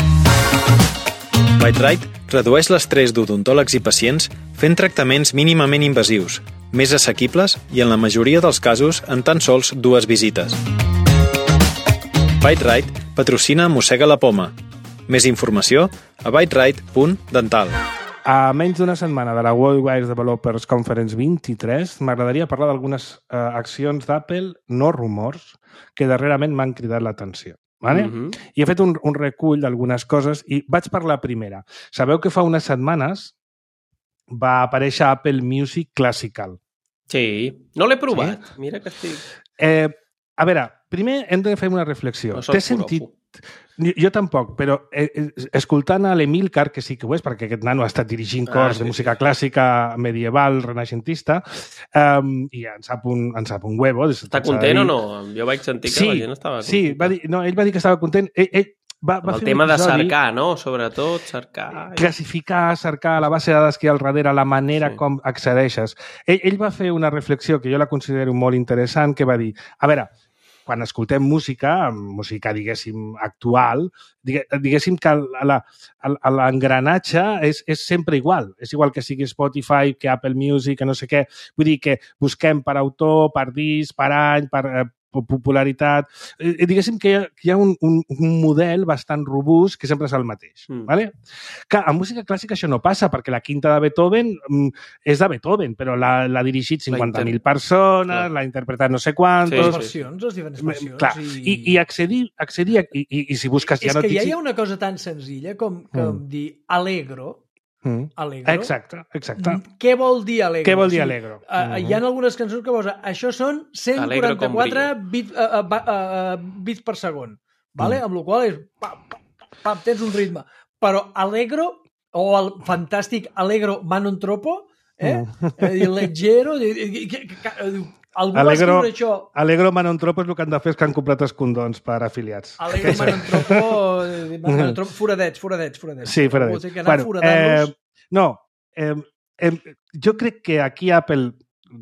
Bite-Rite redueix l'estrès d'odontòlegs i pacients fent tractaments mínimament invasius, més assequibles i en la majoria dels casos en tan sols 2 visites. Bite-Rite patrocina Mossega la Poma. Més informació a biterite.dental. A menys d'una setmana de la Worldwide Developers Conference 23, m'agradaria parlar d'algunes accions d'Apple, no rumors, que darrerament m'han cridat l'atenció. Vale? I he fet un recull d'algunes coses i vaig per la primera. Sabeu que fa unes setmanes va aparèixer Apple Music Classical. Sí, no l'he provat. Sí? Mira que estic... A veure, primer hem de fer una reflexió. No T'he sentit... Jo tampoc, però escoltant a l'Emílcar, que sí que ho és, perquè aquest nano ha estat dirigint cors de música clàssica medieval, renaixentista, i en sap un huevo. Està content o no? Jo vaig sentir que la gent estava content. Sí, ell va dir que estava content. Ell va el fer tema de cercar, no? Sobretot, cercar... Classificar, cercar la base de dades que hi ha al darrere, la manera com accedeixes. Ell va fer una reflexió que jo la considero molt interessant, que va dir, a veure, quan escoltem música, diguéssim, actual, diguéssim que l'engranatge és sempre igual. És igual que sigui Spotify, que Apple Music, que no sé què. Vull dir que busquem per autor, per disc, per any, per popularitat. Diguéssim que hi ha un model bastant robust que sempre és el mateix. Vale? Que en música clàssica això no passa, perquè la quinta de Beethoven és de Beethoven, però l'ha dirigit 50.000 persones, l'ha interpretat no sé quantos... Les diferents versions. Clar, i accedir i si busques... És que ja hi ha una cosa tan senzilla com dir Allegro. Allegro. Exacte. Què vol dir Allegro? Què vol dir Allegro? Hi ha algunes cançons que posa això són 144 bits per segon, vale? Amb la qual és tens un ritme. Però Allegro, o el fantàstic Allegro ma non troppo, leggero, algú va escriure això. Allegro ma non troppo és el que han de fer els que han comprat els condons per afiliats. Allegro ma non troppo, foradets. Sí, foradets. Jo crec que aquí Apple,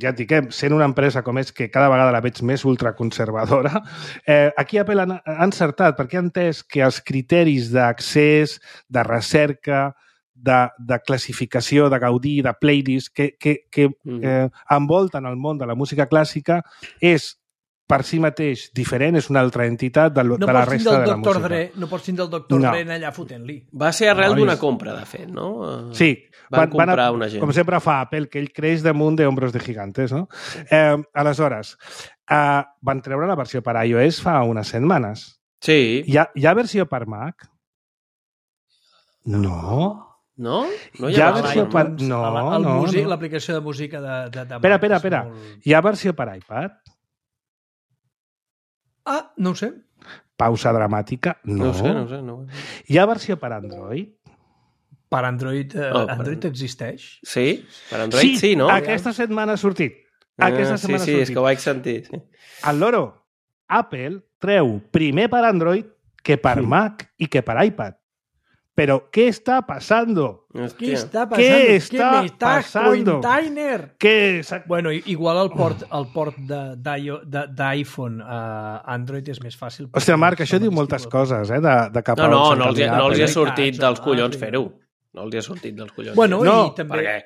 ja et dic, sent una empresa com és que cada vegada la veig més ultraconservadora, aquí Apple ha encertat perquè ha entès que els criteris d'accés, de recerca, de classificació, de gaudir, de playlist que envolten el món de la música clàssica és per si mateix diferent, és una altra entitat de la resta de la música. No pots tindre el Dr. Dre allà fotent-li. Va ser arrel d'una compra, de fet, no? Sí. Van comprar una gent. Com sempre fa Apple, que ell creix damunt d'ombros de gigantes, no? Aleshores, van treure la versió per iOS fa unes setmanes. Sí. Hi ha versió per Mac? No. No? No hi ha versió per... No. L'aplicació de música de Mac. Espera. Hi ha versió per iPad? No ho sé. Pausa dramàtica? No. No sé. Hi ha versió per Android? Per Android, Android existeix? Sí, per Android sí, no? Aquesta setmana ha sortit. Sí, és que ho vaig sentir. Sí. El loro, Apple treu primer per Android que per Mac i que per iPad. Però, què està passant? ¿Qué está pasando? Bueno, igual el port d'iPhone a Android és més fàcil. Hòstia, Marc, això diu moltes coses, de cap a No els hi ha sortit dels collons fer-ho. No els hi ha sortit dels collons. Bueno, i també...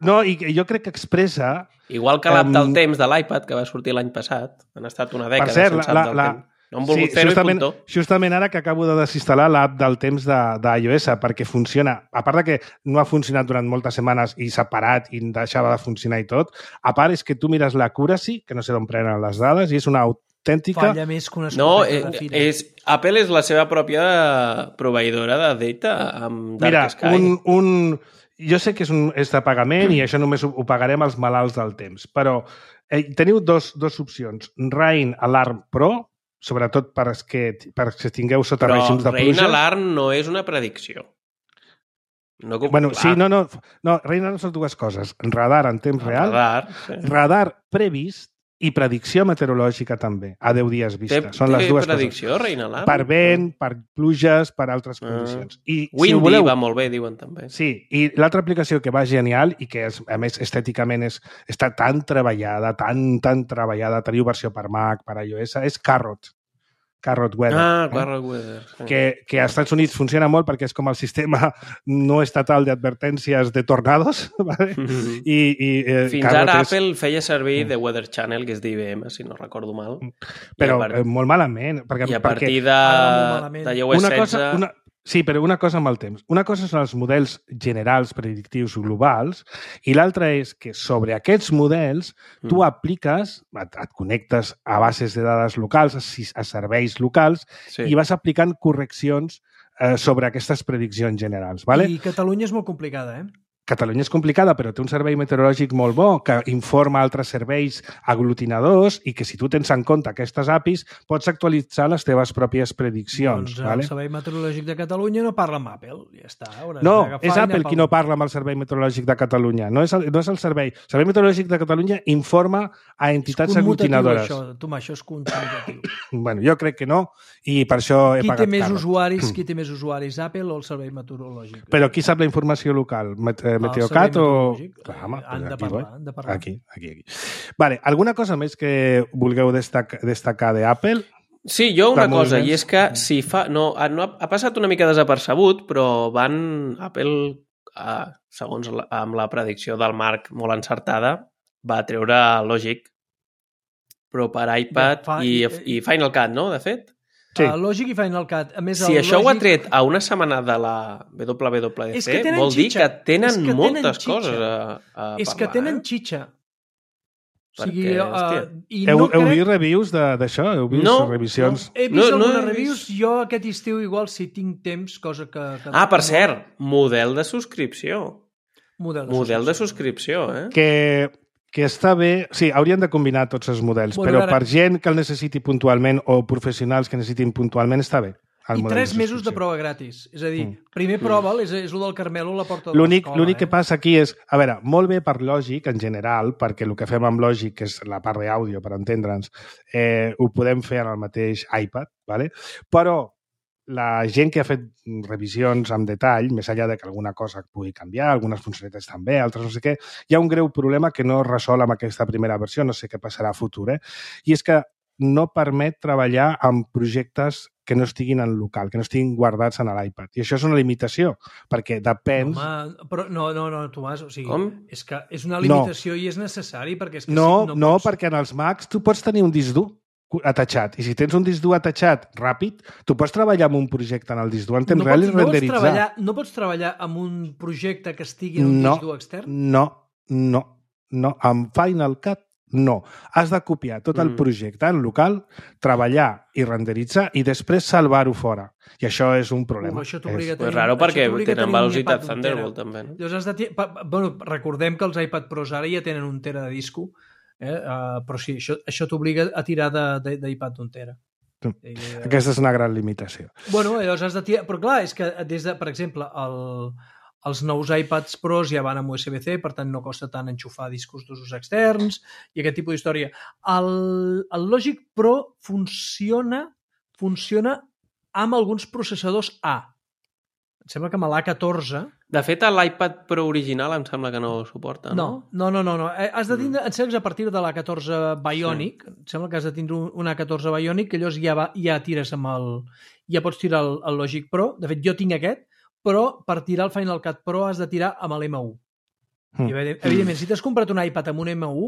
No, i jo crec que expressa... Igual que l'app del temps de l'iPad, que va sortir l'any passat. Han estat una dècada sense app del temps. No han volgut fer-ho i puntó. Justament ara que acabo de desinstal·lar l'app del temps d'iOS perquè funciona, a part de que no ha funcionat durant moltes setmanes i s'ha parat i deixava de funcionar i tot, a part és que tu mires l'accuracy, que no sé d'on prenen les dades, i és una autèntica... Falla més que una escopeta de fira. Apple és la seva pròpia proveïdora de data amb Dark Sky. Mira, jo sé que és de pagament i això només ho pagarem als malalts del temps, però teniu dos opcions. Rain Alarm Pro, sobretot perquè tingueu sota règims de pluja. Però Rain Alarm no és una predicció. Rain Alarm són dues coses. Radar en temps real, radar previst i predicció meteorològica també, a 10 dies vista. Són les dues predicció, coses. Reina Lam? Per vent, per pluges, per altres condicions. I, Windy voleu... va molt bé, diuen també. Sí, i l'altra aplicació que va genial i que, a més, estèticament està tan treballada, tan treballada, teniu versió per Mac, per iOS, és Carrot Weather. Carrot Weather. Sí. Que als Estats Units funciona molt perquè és com el sistema no estatal d'advertències de tornados. ¿vale? Fins ara Apple feia servir The Weather Channel, que és d'IBM, si no recordo mal. Però molt malament. I a partir de iOS 16... Sí, però una cosa amb el temps. Una cosa són els models generals predictius globals i l'altra és que sobre aquests models tu apliques, et connectes a bases de dades locals, a serveis locals i vas aplicant correccions sobre aquestes prediccions generals. ¿vale? I Catalunya és molt complicada, Catalunya és complicada, però té un servei meteorològic molt bo que informa altres serveis aglutinadors i que si tu tens en compte aquestes APIs pots actualitzar les teves pròpies prediccions. Doncs el Servei Meteorològic de Catalunya no parla amb Apple, ja està. No, és Apple qui no parla amb el Servei Meteorològic de Catalunya, no és el servei. El Servei Meteorològic de Catalunya informa a entitats aglutinadores. Això és conmutatiu. Bueno, jo crec que no i per això he pagat caro. Qui té més usuaris, Apple o el Servei Meteorològic? Però qui sap la informació local? Meteocat o... Clar, han de parlar. Aquí. Vale, alguna cosa més que vulgueu destacar d'Apple? Sí, jo una cosa, i és que si fa... No, ha passat una mica desapercebut, però Apple, segons amb la predicció del Marc molt encertada, va treure Logic, però per iPad i Final Cut, no?, de fet? Sí. Logic i Final Cut. A més, si això ho ha tret a una setmana de la WWDC, vol dir que tenen moltes coses a parlar. És que tenen xitxa. Heu vist reviews d'això? Heu vist revisions? He vist algunes reviews. Jo aquest estiu igual, si tinc temps, cosa que... per cert, model de subscripció. Model de subscripció, que està bé... Sí, haurien de combinar tots els models, però per gent que el necessiti puntualment o professionals que necessitin puntualment està bé. I 3 mesos de prova gratis. És a dir, primer prova'l, és el del Carmelo a la porta de l'escola. L'únic que passa aquí és... A veure, molt bé per Logic, en general, perquè el que fem amb Logic, que és la part d'àudio, per entendre'ns, ho podem fer en el mateix iPad, ¿vale? Però la gent que ha fet revisions amb detall, més enllà de que alguna cosa pugui canviar, algunes funcionalitats també, altres no sé què, hi ha un greu problema que no es resol amb aquesta primera versió, no sé què passarà a futur, i és que no permet treballar amb projectes que no estiguin en local, que no estiguin guardats en l'iPad. I això és una limitació, perquè depèn... Però no, Tomàs, o sigui, és que és una limitació i és necessari, perquè és que no, perquè en els Macs tu pots tenir un disc dur atachat. I si tens un disc dur atachat ràpid, tu pots treballar amb un projecte en el disc dur en temps real i renderitzar. No pots treballar amb un projecte que estigui en un disc dur extern? No. Amb Final Cut, no. Has de copiar tot el projecte en local, treballar i renderitzar i després salvar-ho fora. I això és un problema. Això t'obliga a tenir... És raro perquè tenen velocitat Thunderbolt també. Recordem que els iPad Pros ara ja tenen 1 tera de disco, però sí, això t'obliga a tirar d'iPad d'1 tera. Aquesta és una gran limitació. Bueno, llavors has de tirar... Però clar, és que per exemple, els nous iPads Pros ja van amb USB-C, per tant no costa tant enxufar discos d'usos externs i aquest tipus d'història. El Logic Pro funciona amb alguns processadors A. Em sembla que amb l'A14... De fet, l'iPad Pro original em sembla que no ho suporta, no? No. Has de tindre, em sembla, a partir de l'A14 Bionic, em sembla que has de tindre un A14 Bionic, que llavors ja tires amb el... Ja pots tirar el Logic Pro. De fet, jo tinc aquest, però per tirar el Final Cut Pro has de tirar amb l'M1. I, evidentment, si t'has comprat un iPad amb un M1,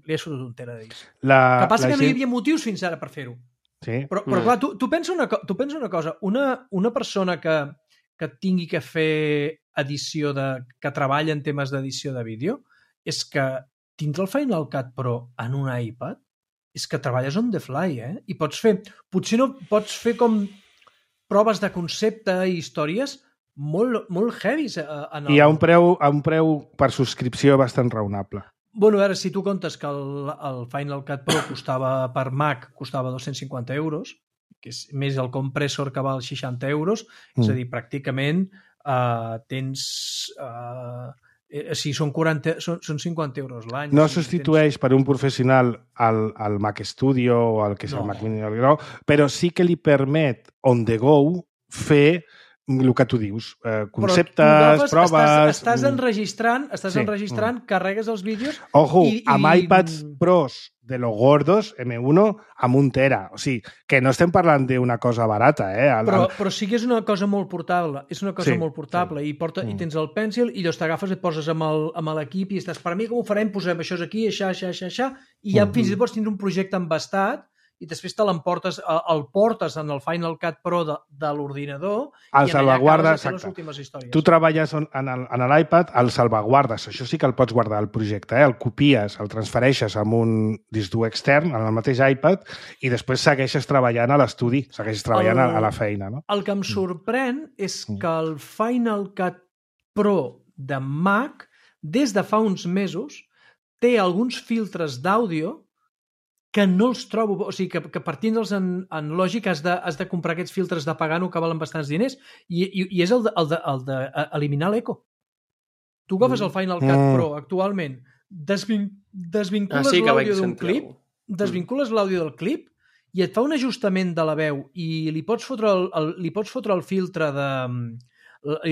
li has fotut 1 tera de disc. El que passa que no hi havia motius fins ara per fer-ho. Sí. Però clar, tu pensa una cosa. Una persona que tingui que fer edició que treballa en temes d'edició de vídeo, és que tindre el Final Cut Pro en un iPad és que treballes on the fly, I pots fer... Potser no pots fer com proves de concepte i històries molt heavies. I a un preu per subscripció bastant raonable. Bueno, a veure, si tu comptes que el Final Cut Pro per Mac costava 250 euros, que és més el compressor que val 60 euros, és a dir, pràcticament tens Si són 50 euros l'any. No substitueix per un professional al Mac Studio o al que és el Mac Mini, però sí que li permet on the go fer el que tu dius, conceptes, proves... Estàs enregistrant, carregues els vídeos... Ojo, amb iPads Pros de los gordos, M1, amb 1 tera. O sigui, que no estem parlant d'una cosa barata, Però sí que és una cosa molt portable. És una cosa molt portable. I tens el Pencil i llavors t'agafes i et poses amb l'equip i estàs, per mi com ho farem? Posem això aquí, això, i ja fins i tot pots tindre un projecte embastat i després te l'emportes, el portes en el Final Cut Pro de l'ordinador i en allà acabes de fer les últimes històries. Tu treballes en l'iPad, el salvaguardes, això sí que el pots guardar al projecte, el copies, el transfereixes amb un disc dur extern en el mateix iPad i després segueixes treballant a l'estudi, segueixes treballant a la feina. No? El que em sorprèn és que el Final Cut Pro de Mac, des de fa uns mesos, té alguns filtres d'àudio que no els trobo, o sigui, que partint-los en Logic has de comprar aquests filtres de pagano que valen bastants diners i és el d'eliminar l'eco. Tu agafes el Final Cut Pro actualment, desvincules l'àudio d'un clip, desvincules l'àudio del clip i et fa un ajustament de la veu i li pots fotre el filtre de...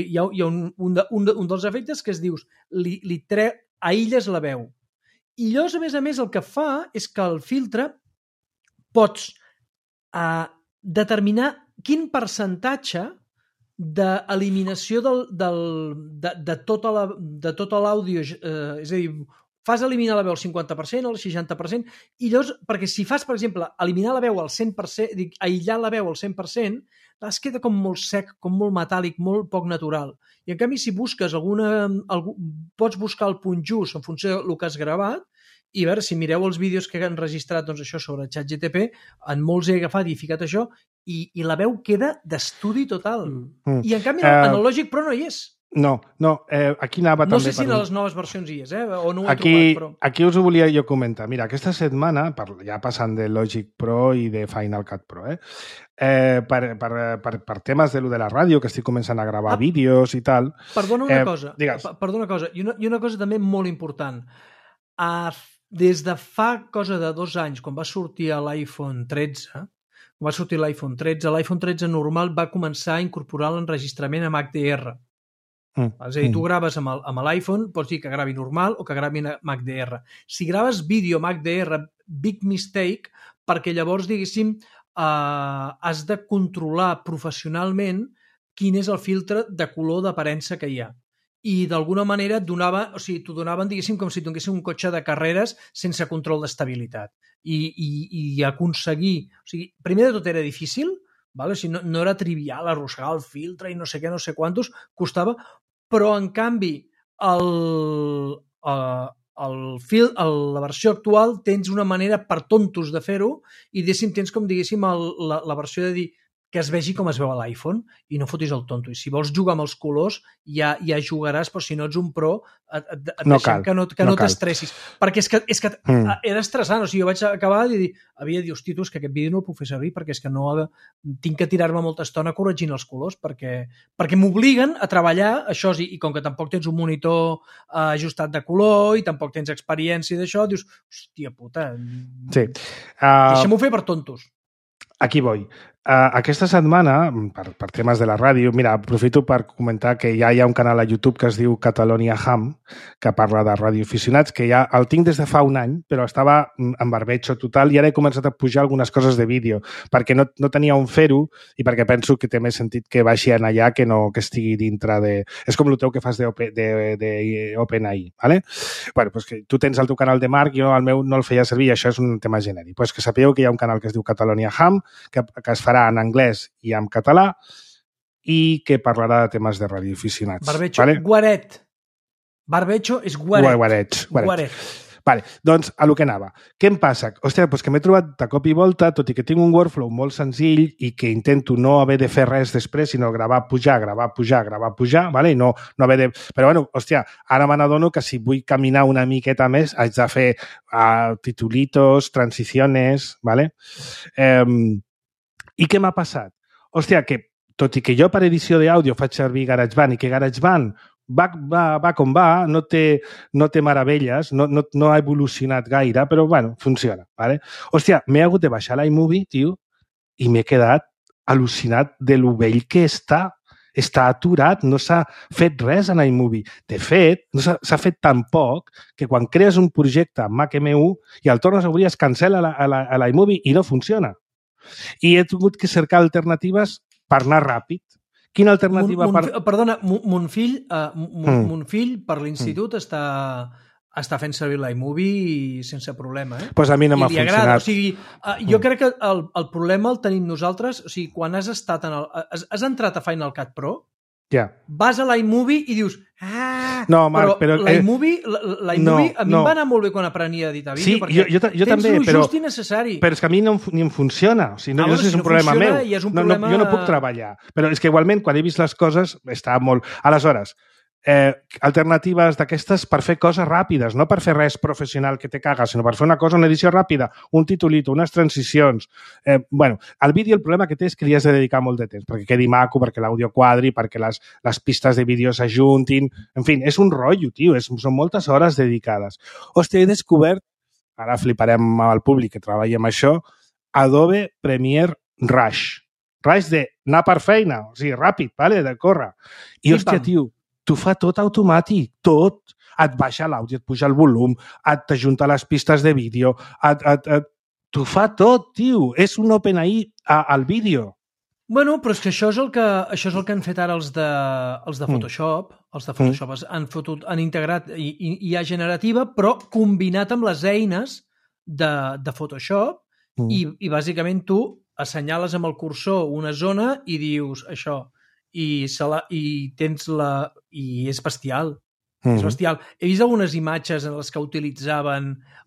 Hi ha un dels efectes que es dius aïlles la veu. I llavors, a més, el que fa és que el filtre pots determinar quin percentatge d'eliminació de tota l'àudio, és a dir, fas eliminar la veu al 50%, al 60%, i llavors, perquè si fas, per exemple, eliminar la veu al 100%, aïllar la veu al 100%, es queda com molt sec, com molt metàl·lic, molt poc natural. I en canvi, si busques pots buscar el punt just en funció del que has gravat, i a veure, si mireu els vídeos que han registrat doncs, això sobre ChatGPT, en molts he agafat i he ficat això, i la veu queda d'estudi total. I en canvi, en el Logic Pro no hi és. No, aquí anava també... No sé si en les noves versions hi és, o no ho he trobat, però... Aquí us ho volia jo comentar. Mira, aquesta setmana, ja passant de Logic Pro i de Final Cut Pro, per temes de la ràdio, que estic començant a gravar vídeos i tal... Perdona una cosa, i una cosa també molt important. Des de fa cosa de 2 anys, quan va sortir l'iPhone 13, l'iPhone 13 normal va començar a incorporar l'enregistrament amb HDR. És a dir, tu graves amb l'iPhone, pots dir que gravi normal o que gravi amb HDR. Si graves vídeo amb HDR, big mistake, perquè llavors, diguéssim, has de controlar professionalment quin és el filtre de color d'aparença que hi ha. I d'alguna manera t'ho donaven, diguéssim, com si tinguessin un cotxe de carreres sense control d'estabilitat. I aconseguir... O sigui, primer de tot era difícil, o sigui, no era trivial arrossegar el filtre i no sé què, no sé quantos, costava, però en canvi la versió actual tens una manera per tontos de fer-ho i tens com, diguéssim, la versió de dir que es vegi com es veu a l'iPhone i no fotis el tonto. I si vols jugar amb els colors, ja jugaràs, però si no ets un pro, et deixem que no t'estressis. Perquè és que era estressant. O sigui, jo vaig acabar de dir, hosti, tu, és que aquest vídeo no el puc fer servir perquè és que no tinc que tirar-me molta estona corregint els colors perquè m'obliguen a treballar això i com que tampoc tens un monitor ajustat de color i tampoc tens experiència d'això, dius, hòstia puta, deixem-ho fer per tontos. Aquí voy. Aquesta setmana, per temes de la ràdio, mira, aprofito per comentar que ja hi ha un canal a YouTube que es diu Catalonia Ham, que parla de radioaficionats, que ja el tinc des de fa un any, però estava en barbecho total i ara he començat a pujar algunes coses de vídeo, perquè no tenia on fer-ho i perquè penso que té més sentit que baixi en allà que no que estigui dintre de... És com el teu que fas d'OpenAI, ¿vale? Bueno, pues que tu tens el teu canal de Marc i jo el meu no el feia servir i això és un tema genèric. Pues que sapigueu que hi ha un canal que es diu Catalonia Ham, que es farà en anglès i en català i que parlarà de temes de radioaficionats. Barbecho, ¿vale? Guaret. Barbecho és guaret. Guaret. Vale, doncs, a lo que anava. Què em passa? Hòstia, doncs que m'he trobat de cop i volta, tot i que tinc un workflow molt senzill i que intento no haver de fer res després, sinó gravar, pujar, vale? I no haver de... Però, bueno, hòstia, ara me n'adono que si vull caminar una miqueta més haig de fer titulitos, transiciones, vale? I què m'ha passat? Hòstia, que tot i que jo per edició d'àudio faig servir GarageBand i que GarageBand va com va, no té meravelles, no ha evolucionat gaire, però, bueno, funciona, ¿vale? Hòstia, m'he hagut de baixar l'iMovie, tio, i m'he quedat al·lucinat de lo vell que està. Està aturat, no s'ha fet res en iMovie. De fet, no s'ha fet tan poc que quan crees un projecte amb Mac M1 i el tornes a obrir es cancel·la a l'iMovie i no funciona. I he tingut que cercar alternatives per anar ràpid. Quina alternativa Perdona, mon fill per l'institut està fent servir l'iMovie sense problema. Pues a mi no m'ha funcionat. O sigui, jo crec que el problema el tenim nosaltres. O sigui, quan has entrat a Final Cut Pro, vas a l'iMovie i dius no, Marc, però l'iMovie a mi em va anar molt bé quan aprenia a editar vídeo, perquè jo també, tens lo just i necessari. Però és que a mi ni em funciona. O sigui, no sé si és un problema meu. Jo no puc treballar. Però és que igualment, quan he vist les coses, està molt... Aleshores, alternatives d'aquestes per fer coses ràpides, no per fer res professional que te caga, sinó per fer una edició ràpida, un titulito, unes transicions. Bueno, el vídeo el problema que té és que li has de dedicar molt de temps, perquè quedi maco, perquè l'àudio quadri, perquè les pistes de vídeo s'ajuntin... En fi, és un rotllo, tio, són moltes hores dedicades. Hòstia, he descobert, ara fliparem al públic que treballa amb això, Adobe Premiere Rush. Rush d'anar per feina, o sigui, ràpid, vale? De córrer. I, hòstia, tio, t'ho fa tot automàtic, tot. Et baixa l'àudio, et puja el volum, t'ajunta les pistes de vídeo, t'ho fa tot, tio. És un OpenAI al vídeo. Bueno, però és que això és el que han fet ara els de Photoshop. Els de Photoshop han integrat IA generativa, però combinat amb les eines de Photoshop i bàsicament tu assenyales amb el cursor una zona i dius això. I és bestial. És bestial. He vist algunes imatges en les que utilitzaven,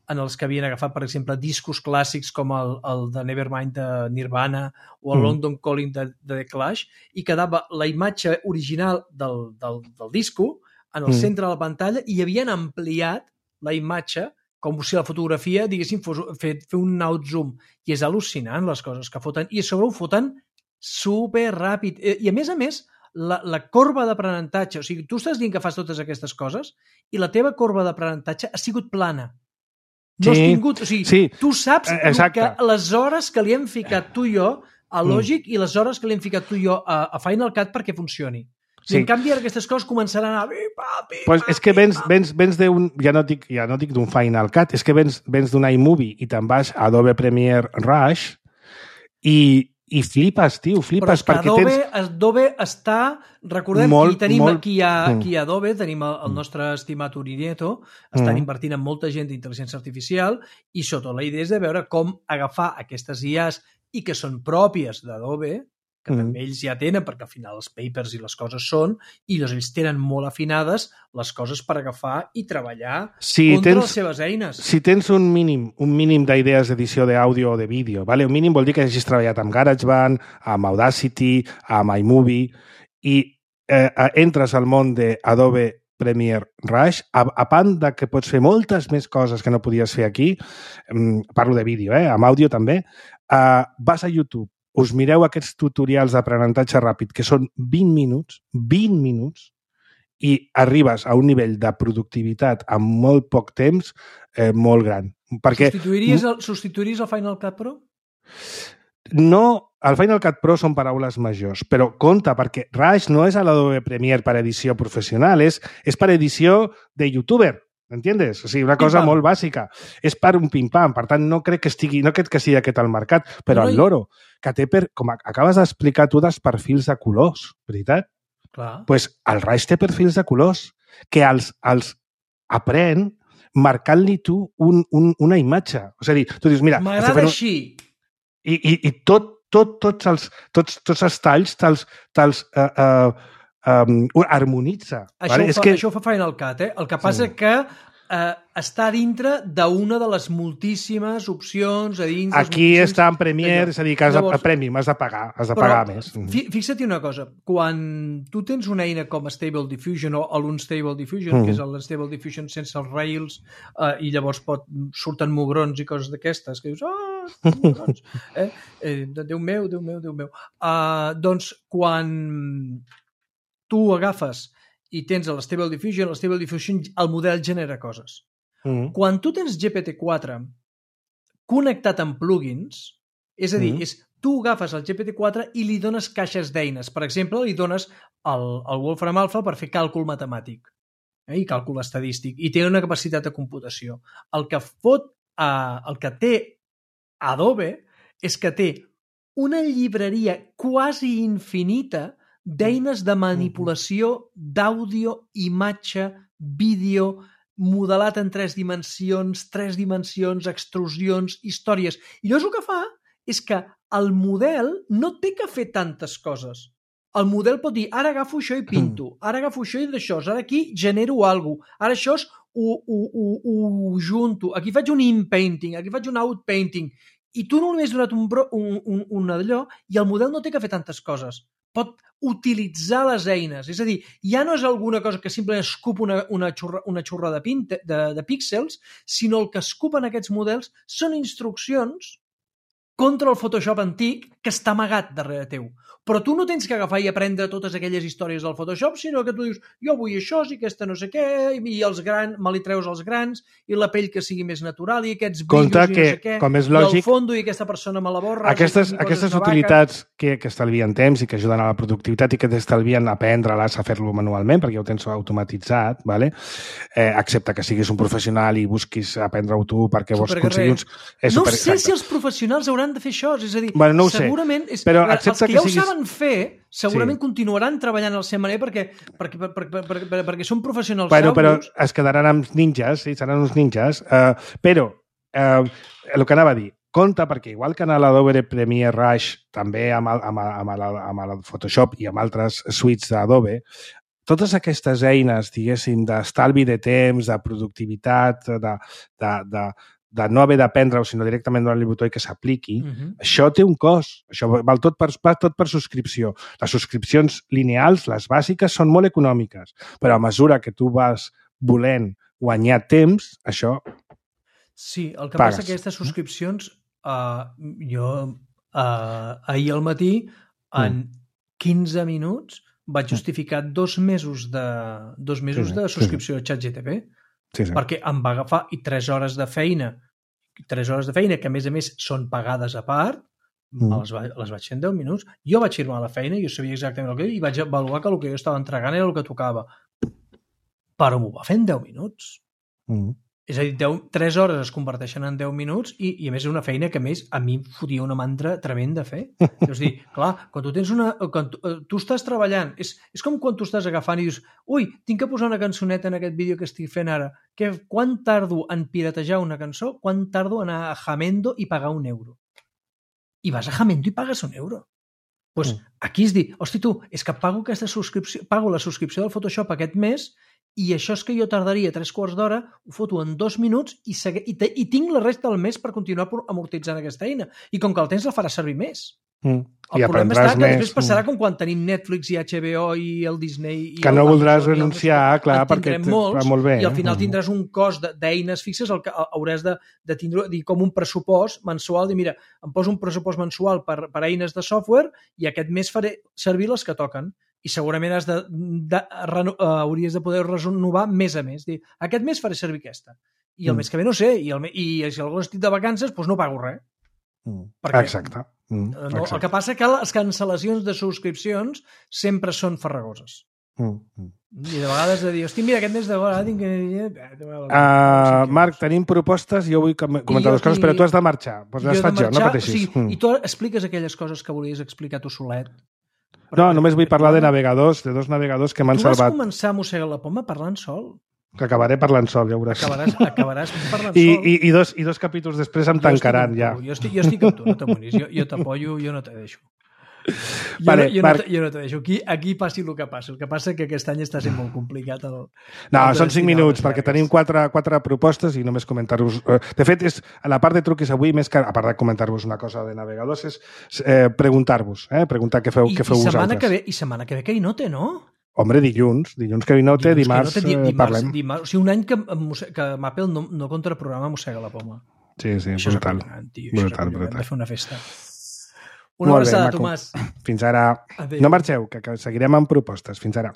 en els que havien agafat, per exemple, discos clàssics com el de Nevermind de Nirvana o el London Calling de The Clash, i quedava la imatge original del disco en el centre de la pantalla i havien ampliat la imatge com si la fotografia, diguéssim, fer un outzoom. I és al·lucinant les coses que foten. I a sobre ho foten super ràpid. I a més, la corba d'aprenentatge, o sigui, tu estàs dient que fas totes aquestes coses i la teva corba d'aprenentatge ha sigut plana. No has tingut... O sigui, tu saps que les hores que li hem ficat tu i jo a Logic i les hores que li hem ficat tu i jo a Final Cut perquè funcioni. I en canvi aquestes coses començaran a... Pues és que vens d'un... Ja no dic d'un Final Cut, és que vens d'un iMovie i te'n vas a Adobe Premiere Rush i flipes, tio, flipes. Però és que Adobe està... Recordem, aquí a Adobe tenim el nostre estimat Uri Nieto, estan invertint en molta gent d'intel·ligència artificial i sota la idea és de veure com agafar aquestes IAs i que són pròpies d'Adobe, que també ells ja tenen, perquè al final els papers i les coses són, i ells tenen molt afinades les coses per agafar i treballar contra les seves eines. Si tens un mínim d'idees d'edició d'àudio o de vídeo, vale? Un mínim vol dir que hagis treballat amb GarageBand, amb Audacity, amb iMovie, i entres al món d'Adobe Premiere Rush, a part de que pots fer moltes més coses que no podies fer aquí, parlo de vídeo, amb àudio també, vas a YouTube, us mireu aquests tutorials d'aprenentatge ràpid, que són 20 minuts, i arribes a un nivell de productivitat en molt poc temps molt gran. Perquè... Substituiries el Final Cut Pro? No, el Final Cut Pro són paraules majors, però compte, perquè Rush no és a l'Adobe Premiere per edició professional, és per edició de youtuber. M'entiendes? O sigui, una cosa molt bàsica. És per un pim-pam. Per tant, no crec que sigui aquest al mercat, però el loro, que té com acabes d'explicar tu, dels perfils de colors, veritat? Clar. Doncs el Rush té perfils de colors que els aprèn marcant-li tu una imatge. O sigui, tu dius, mira... M'agrada així. I tots els talls te'ls harmonitza. Això ho fa Final Cut, El que passa que està dintre d'una de les moltíssimes opcions a dins... Aquí està en Premiere, és a dir, que has de pagar més. Fixa't una cosa, quan tu tens una eina com Stable Diffusion o l'Unstable Diffusion, que és l'Unstable Diffusion sense els Rails, i llavors surten mugrons i coses d'aquestes, que dius, mugrons, Déu meu. Doncs quan tu agafes i tens l'Stable Diffusion, el model genera coses. Quan tu tens GPT-4 connectat amb plugins, és a dir, tu agafes el GPT-4 i li dones caixes d'eines. Per exemple, li dones el Wolfram Alpha per fer càlcul matemàtic i càlcul estadístic, i té una capacitat de computació. El que té Adobe és que té una llibreria quasi infinita d'eines de manipulació d'àudio, imatge, vídeo, modelat en 3 dimensions, extrusions, històries. I llavors el que fa és que el model no té que fer tantes coses. El model pot dir, ara agafo això i pinto, ara agafo això i d'això, ara aquí genero alguna cosa, ara això ho junto, aquí faig un in-painting, aquí faig un out-painting, i tu només has donat un d'allò i el model no té que fer tantes coses. Pot utilitzar les eines. És a dir, ja no és alguna cosa que simplement escup una xorra de píxels, sinó el que escupen aquests models són instruccions contra el Photoshop antic que està amagat darrere teu. Però tu no tens que agafar i aprendre totes aquelles històries del Photoshop, sinó que tu dius, jo vull això, i aquesta no sé què, i els grans, me li treus els grans, i la pell que sigui més natural, i aquests brillos, i no sé què, com és lògic, i el fondo, i aquesta persona me la borra. Aquestes utilitats que estalvien temps i que ajuden a la productivitat i que t'estalvien aprendre-les a fer-lo manualment, perquè ja ho tens automatitzat, ¿vale? Excepte que siguis un professional i busquis aprendre-ho tu perquè vols aconseguir uns... No sé si els professionals hauran de fer això, és a dir, no segurament... Però els que ja ho saben fer, segurament continuaran treballant al seu manera perquè són professionals sauros. Però es quedaran amb ninjas, sí, seran uns ninjas, però el que anava a dir, compte, perquè igual que en l'Adobe Premiere Rush, també amb el Photoshop i amb altres suites d'Adobe, totes aquestes eines, diguéssim, d'estalvi de temps, de productivitat, de no haver d'aprendre-ho, sinó directament donar-li el botó i que s'apliqui, això té un cost. Això va tot per subscripció. Les subscripcions lineals, les bàsiques, són molt econòmiques, però a mesura que tu vas volent guanyar temps, això sí, el que passa que aquestes subscripcions, jo ahir al matí, en 15 minuts, vaig justificar 2 mesos de subscripció a ChatGPT. Sí. Perquè em va agafar 3 hores de feina, que a més són pagades a part, les vaig fer en 10 minuts. Jo vaig firmar la feina, jo sabia exactament el que i vaig avaluar que el que jo estava entregant era el que tocava. Però m'ho va fer en 10 minuts. És a dir, 3 hores es converteixen en 10 minuts i a més és una feina que a més a mi em fotia una mandra tremenda a fer. És a dir, clar, quan tu estàs treballant, és com quan tu estàs agafant i dius, ui, tinc que posar una cançoneta en aquest vídeo que estic fent ara. Quan tardo en piratejar una cançó? Quan tardo en anar a Jamendo i pagar €1? I vas a Jamendo i pagues €1. Doncs aquí és dir, hosti tu, és que pago la subscripció del Photoshop aquest mes i això és que jo tardaria 3/4 d'hora, ho foto en 2 minuts i tinc la resta del mes per continuar amortitzant aquesta eina. I com que el temps la farà servir més. El problema està que després passarà com quan tenim Netflix i HBO i el Disney... Que no voldràs renunciar, clar, perquè va molt bé. I al final tindràs un cost d'eines fixes, el que hauràs de tindre com un pressupost mensual, dir, mira, em poso un pressupost mensual per eines de software i aquest mes faré servir les que toquen. I segurament hauries de poder renovar mes a mes. Dir, aquest mes faré servir aquesta. I el mes que ve no sé. I si algú estic de vacances, doncs no pago res. Exacte. El que passa que les cancel·lacions de subscripcions sempre són farragoses. I de vegades de dir, hosti, mira, aquest mes de vegades tinc que... Marc, tenim propostes i jo vull comentar 2 coses, però tu has de marxar. Doncs les faig jo, no pateixis. I tu expliques aquelles coses que volies explicar tu solet. No, només vull parlar de navegadors, de 2 navegadors que m'han salvat. Tu vas començar a mossegar la poma parlant sol. Que acabaré parlant sol, ja ho veuràs. Acabaràs parlant sol. I 2 capítols després em tancaran, ja. Jo estic amb tu, no t'amonis. Jo t'apoyo, jo no te deixo. Jo no te deixo. Aquí passi el que passi. El que passa que aquest any està sent molt complicat. No, són 5 minuts, perquè tenim 4 propostes i només comentar-vos... De fet, a la part de truquis avui, més que a part de comentar-vos una cosa de navegadors, és preguntar-vos, preguntar què feu vosaltres. I setmana que ve que hi no té, no? Hombre, dilluns que no té, dimarts parlem. O sigui, un any que Apple no contra el programa mossega la poma. Sí, brutal. Brutal. Hem de fer una festa. Una abraçada, Tomàs. Fins ara. No marxeu, que seguirem amb propostes. Fins ara.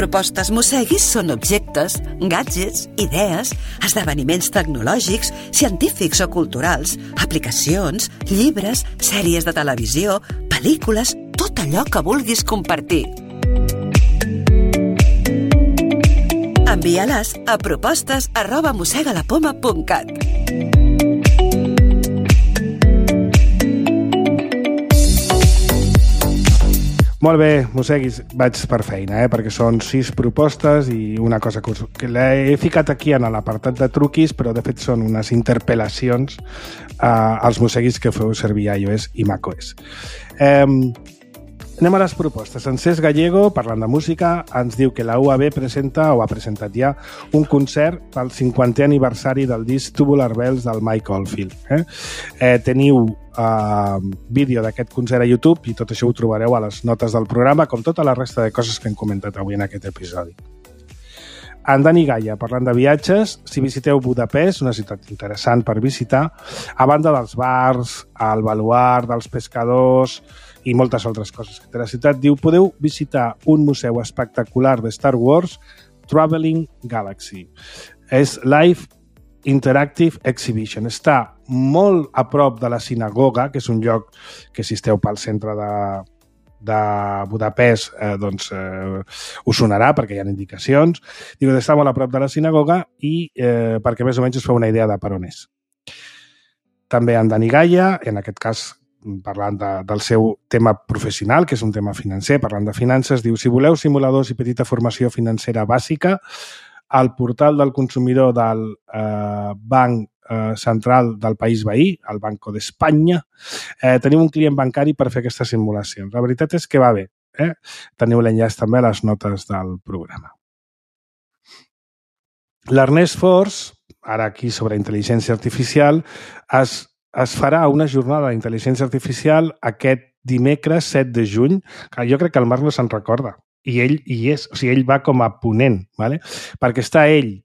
propostes Mosseguis són objectes, gadgets, idees, esdeveniments tecnològics, científics o culturals, aplicacions, llibres, sèries de televisió, pel·lícules, tot allò que vulguis compartir. Envia-les a propostes@mossegalapoma.cat. Molt bé, Mosseguis, vaig per feina, perquè són 6 propostes i una cosa que l'he ficat aquí en l'apartat de truquis, però de fet són unes interpel·lacions als Mosseguis que feu servir iOS i macOS. Anem a les propostes. En Cesc Gallego, parlant de música, ens diu que la UAB presenta, o ha presentat ja, un concert pel 50è aniversari del disc Tubular Bells del Mike Oldfield. Teniu vídeo d'aquest concert a YouTube i tot això ho trobareu a les notes del programa, com tota la resta de coses que hem comentat avui en aquest episodi. En Dani Gaia, parlant de viatges, si visiteu Budapest, una ciutat interessant per visitar, a banda dels bars, el baluard, dels pescadors i moltes altres coses que té la ciutat, diu, podeu visitar un museu espectacular de Star Wars, Traveling Galaxy. És Live Interactive Exhibition. Està molt a prop de la sinagoga, que és un lloc que si esteu pel centre de Budapest us sonarà perquè hi ha indicacions. Diu que està molt a prop de la sinagoga i perquè més o menys us feu una idea de per on és. També en Dani Gaia, en aquest cas parlant del seu tema professional, que és un tema financer, parlant de finances, diu, si voleu simuladors i petita formació financera bàsica, al portal del consumidor del Banc Central del país veí, el Banco d'Espanya, teniu un client bancari per fer aquestes simulacions. La veritat és que va bé. Teniu l'enllaç també a les notes del programa. L'Ernest Fors, ara aquí sobre intel·ligència artificial, es farà una jornada d'intel·ligència artificial aquest dimecres 7 de juny, que jo crec que el Marc no se'n recorda. I ell hi és, o sigui, ell va com a ponent, ¿vale? Perquè està ell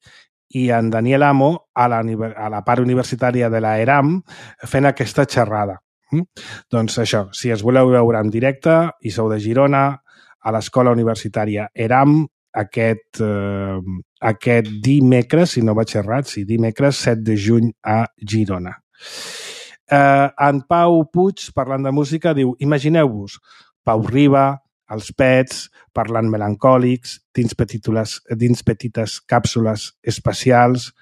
i en Daniel Amo a la part universitària de l'ERAM fent aquesta xerrada. Doncs això, si es voleu veure en directe i sou de Girona, a l'escola universitària ERAM, aquest dimecres, si no vaig errat, sí, dimecres 7 de juny a Girona. En Pau Puig, parlant de música, diu, imagineu-vos Pau Riba, els Pets, parlant melancòlics, dins petites càpsules espacials,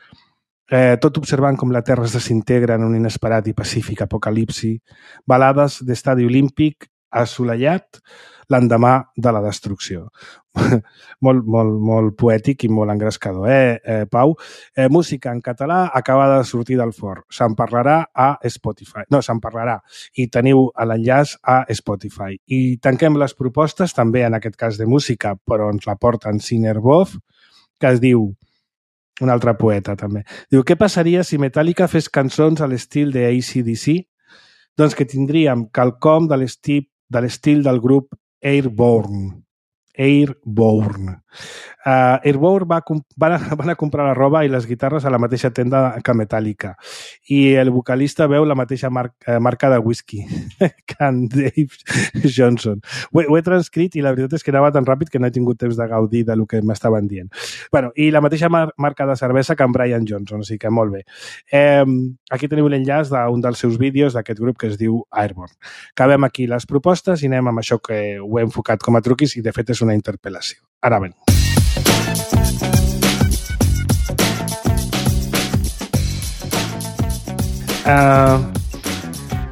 tot observant com la Terra es desintegra en un inesperat i pacífic apocalipsi, balades d'estadi olímpic assolellat l'endemà de la destrucció. Molt poètic i molt engrescador, Pau? Música en català acaba de sortir del forn. Se'n parlarà a Spotify. No, se'n parlarà. I teniu l'enllaç a Spotify. I tanquem les propostes, també en aquest cas de música, però ens la porten Sinerbov, que es diu, un altre poeta també, diu, què passaria si Metallica fes cançons a l'estil de AC/DC? Doncs que tindríem quelcom de l'estil del grup Airborne. Airborne van a comprar la roba i les guitarres a la mateixa tenda que Metallica i el vocalista veu la mateixa marca de whisky que en Dave Johnson. Ho he transcrit i la veritat és que anava tan ràpid que no he tingut temps de gaudir del que m'estaven dient. Bueno, i la mateixa marca de cervesa que en Brian Johnson, o sigui que molt bé. Aquí teniu l'enllaç d'un dels seus vídeos d'aquest grup que es diu Airborne. Acabem aquí les propostes i anem amb això que ho he enfocat com a truquis i de fet és una interpel·lació. Ara ben.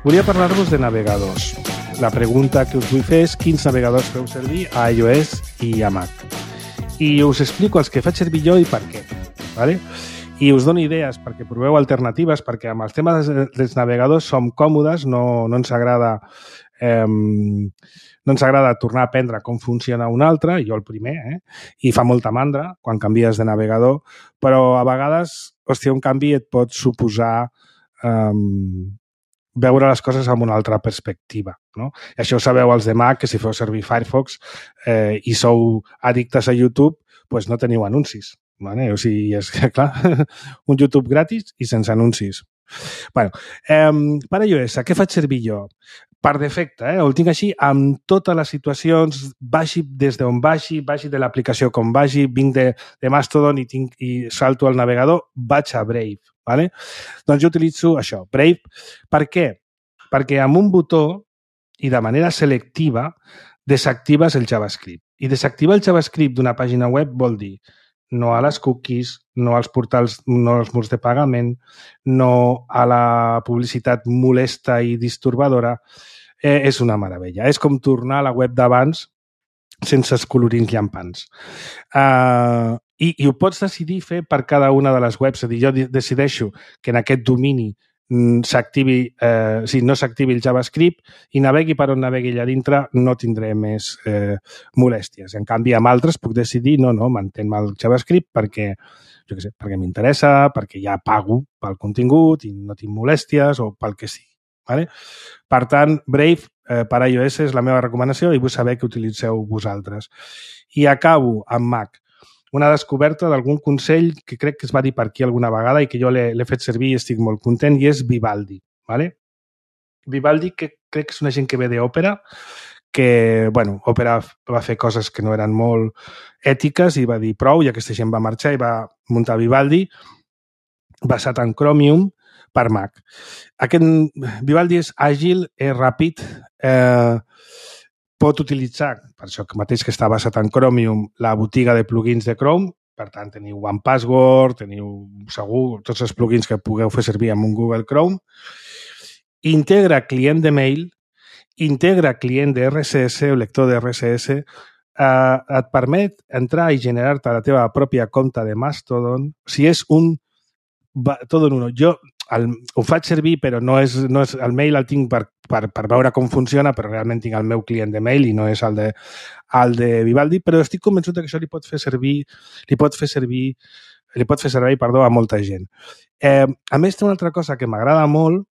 Volia parlar-vos de navegadors. La pregunta que us vull fer és quins navegadors feu servir a iOS i a Mac. I us explico els que faig servir jo i per què. ¿Vale? I us dono idees perquè proveu alternatives, perquè amb els temes dels navegadors som còmodes, no ens agrada tornar a aprendre com funciona un altre, jo el primer, i fa molta mandra quan canvies de navegador, però a vegades, hòstia, un canvi et pot suposar veure les coses amb una altra perspectiva, no? I això ho sabeu els de Mac, que si feu servir Firefox i sou addictes a YouTube, doncs no teniu anuncis. Vale? O sigui, és clar, un YouTube gratis i sense anuncis. Bueno, per iOS, què faig servir jo? per defecte, ho tinc així amb totes les situacions, vagi des d'on vagi de l'aplicació com vagi, vinc de Mastodon i salto al navegador, vaig a Brave. ¿Vale? Doncs jo utilitzo això, Brave. Per què? Perquè amb un botó i de manera selectiva desactives el JavaScript. I desactivar el JavaScript d'una pàgina web vol dir no a les cookies, no als portals, no als murs de pagament, no a la publicitat molesta i disturbadora. És una meravella. És com tornar a la web d'abans sense els colorins llampants. I ho pots decidir fer per cada una de les webs. És a dir, jo decideixo que en aquest domini no s'activi el JavaScript i navegui per on navegui allà dintre, no tindré més molèsties. En canvi, amb altres puc decidir no, mantén-me el JavaScript perquè m'interessa, perquè ja pago pel contingut i no tinc molèsties o pel que sigui. Vale? Per tant, Brave per iOS és la meva recomanació i vull saber què utilitzeu vosaltres. I acabo amb Mac. Una descoberta d'algun consell que crec que es va dir per aquí alguna vegada i que jo l'he fet servir i estic molt content, i és Vivaldi. ¿Vale? Vivaldi, que crec que és una gent que ve d'Òpera, que, bueno, Òpera va fer coses que no eren molt ètiques i va dir prou, i aquesta gent va marxar i va muntar Vivaldi, basat en Chromium, per Mac. Aquest Vivaldi és àgil, és ràpid, pot utilitzar, per això mateix que està basat en Chromium, la botiga de plugins de Chrome. Per tant, teniu OnePassword, teniu segur tots els plugins que pugueu fer servir amb un Google Chrome. Integra client de mail, integra client de RSS o lector de RSS, et permet entrar i generar-te la teva pròpia compte de Mastodon. O sigui, és un tot en uno. Jo ho faig servir, però no és el mail el tinc per veure com funciona, però realment tinc el meu client de mail i no és el de Vivaldi, però estic convençut que això li pot fer servir a molta gent. A més, té una altra cosa que m'agrada molt.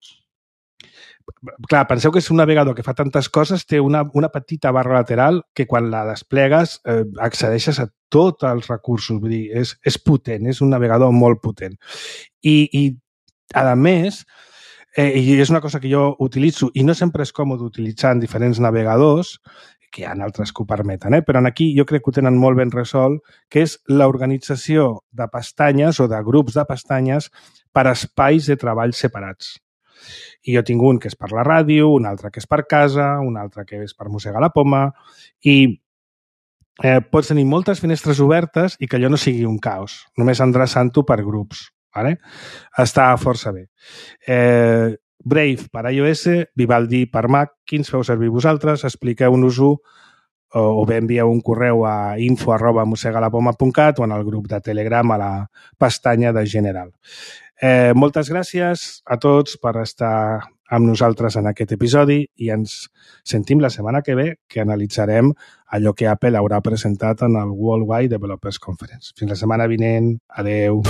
Clar, penseu que és un navegador que fa tantes coses, té una petita barra lateral que quan la desplegues accedeixes a tots els recursos. Vull dir, és potent, és un navegador molt potent. I a més, i és una cosa que jo utilitzo i no sempre és còmode utilitzar en diferents navegadors, que hi ha altres que ho permeten, però aquí jo crec que ho tenen molt ben resolt, que és l'organització de pestanyes o de grups de pestanyes per espais de treball separats. I jo tinc un que és per la ràdio, un altre que és per casa, un altre que és per mossegar la poma, i pots tenir moltes finestres obertes i que allò no sigui un caos, només endreçant-ho per grups. Vale? Està força bé. Brave per iOS, Vivaldi per Mac. Quins feu servir vosaltres? Expliqueu-nos-ho o bé envieu un correu a info@mossegalapoma.cat o en el grup de Telegram a la pestanya de General. Moltes gràcies a tots per estar amb nosaltres en aquest episodi i ens sentim la setmana que ve, que analitzarem allò que Apple haurà presentat en el Worldwide Developers Conference. Fins la setmana vinent. Adeu.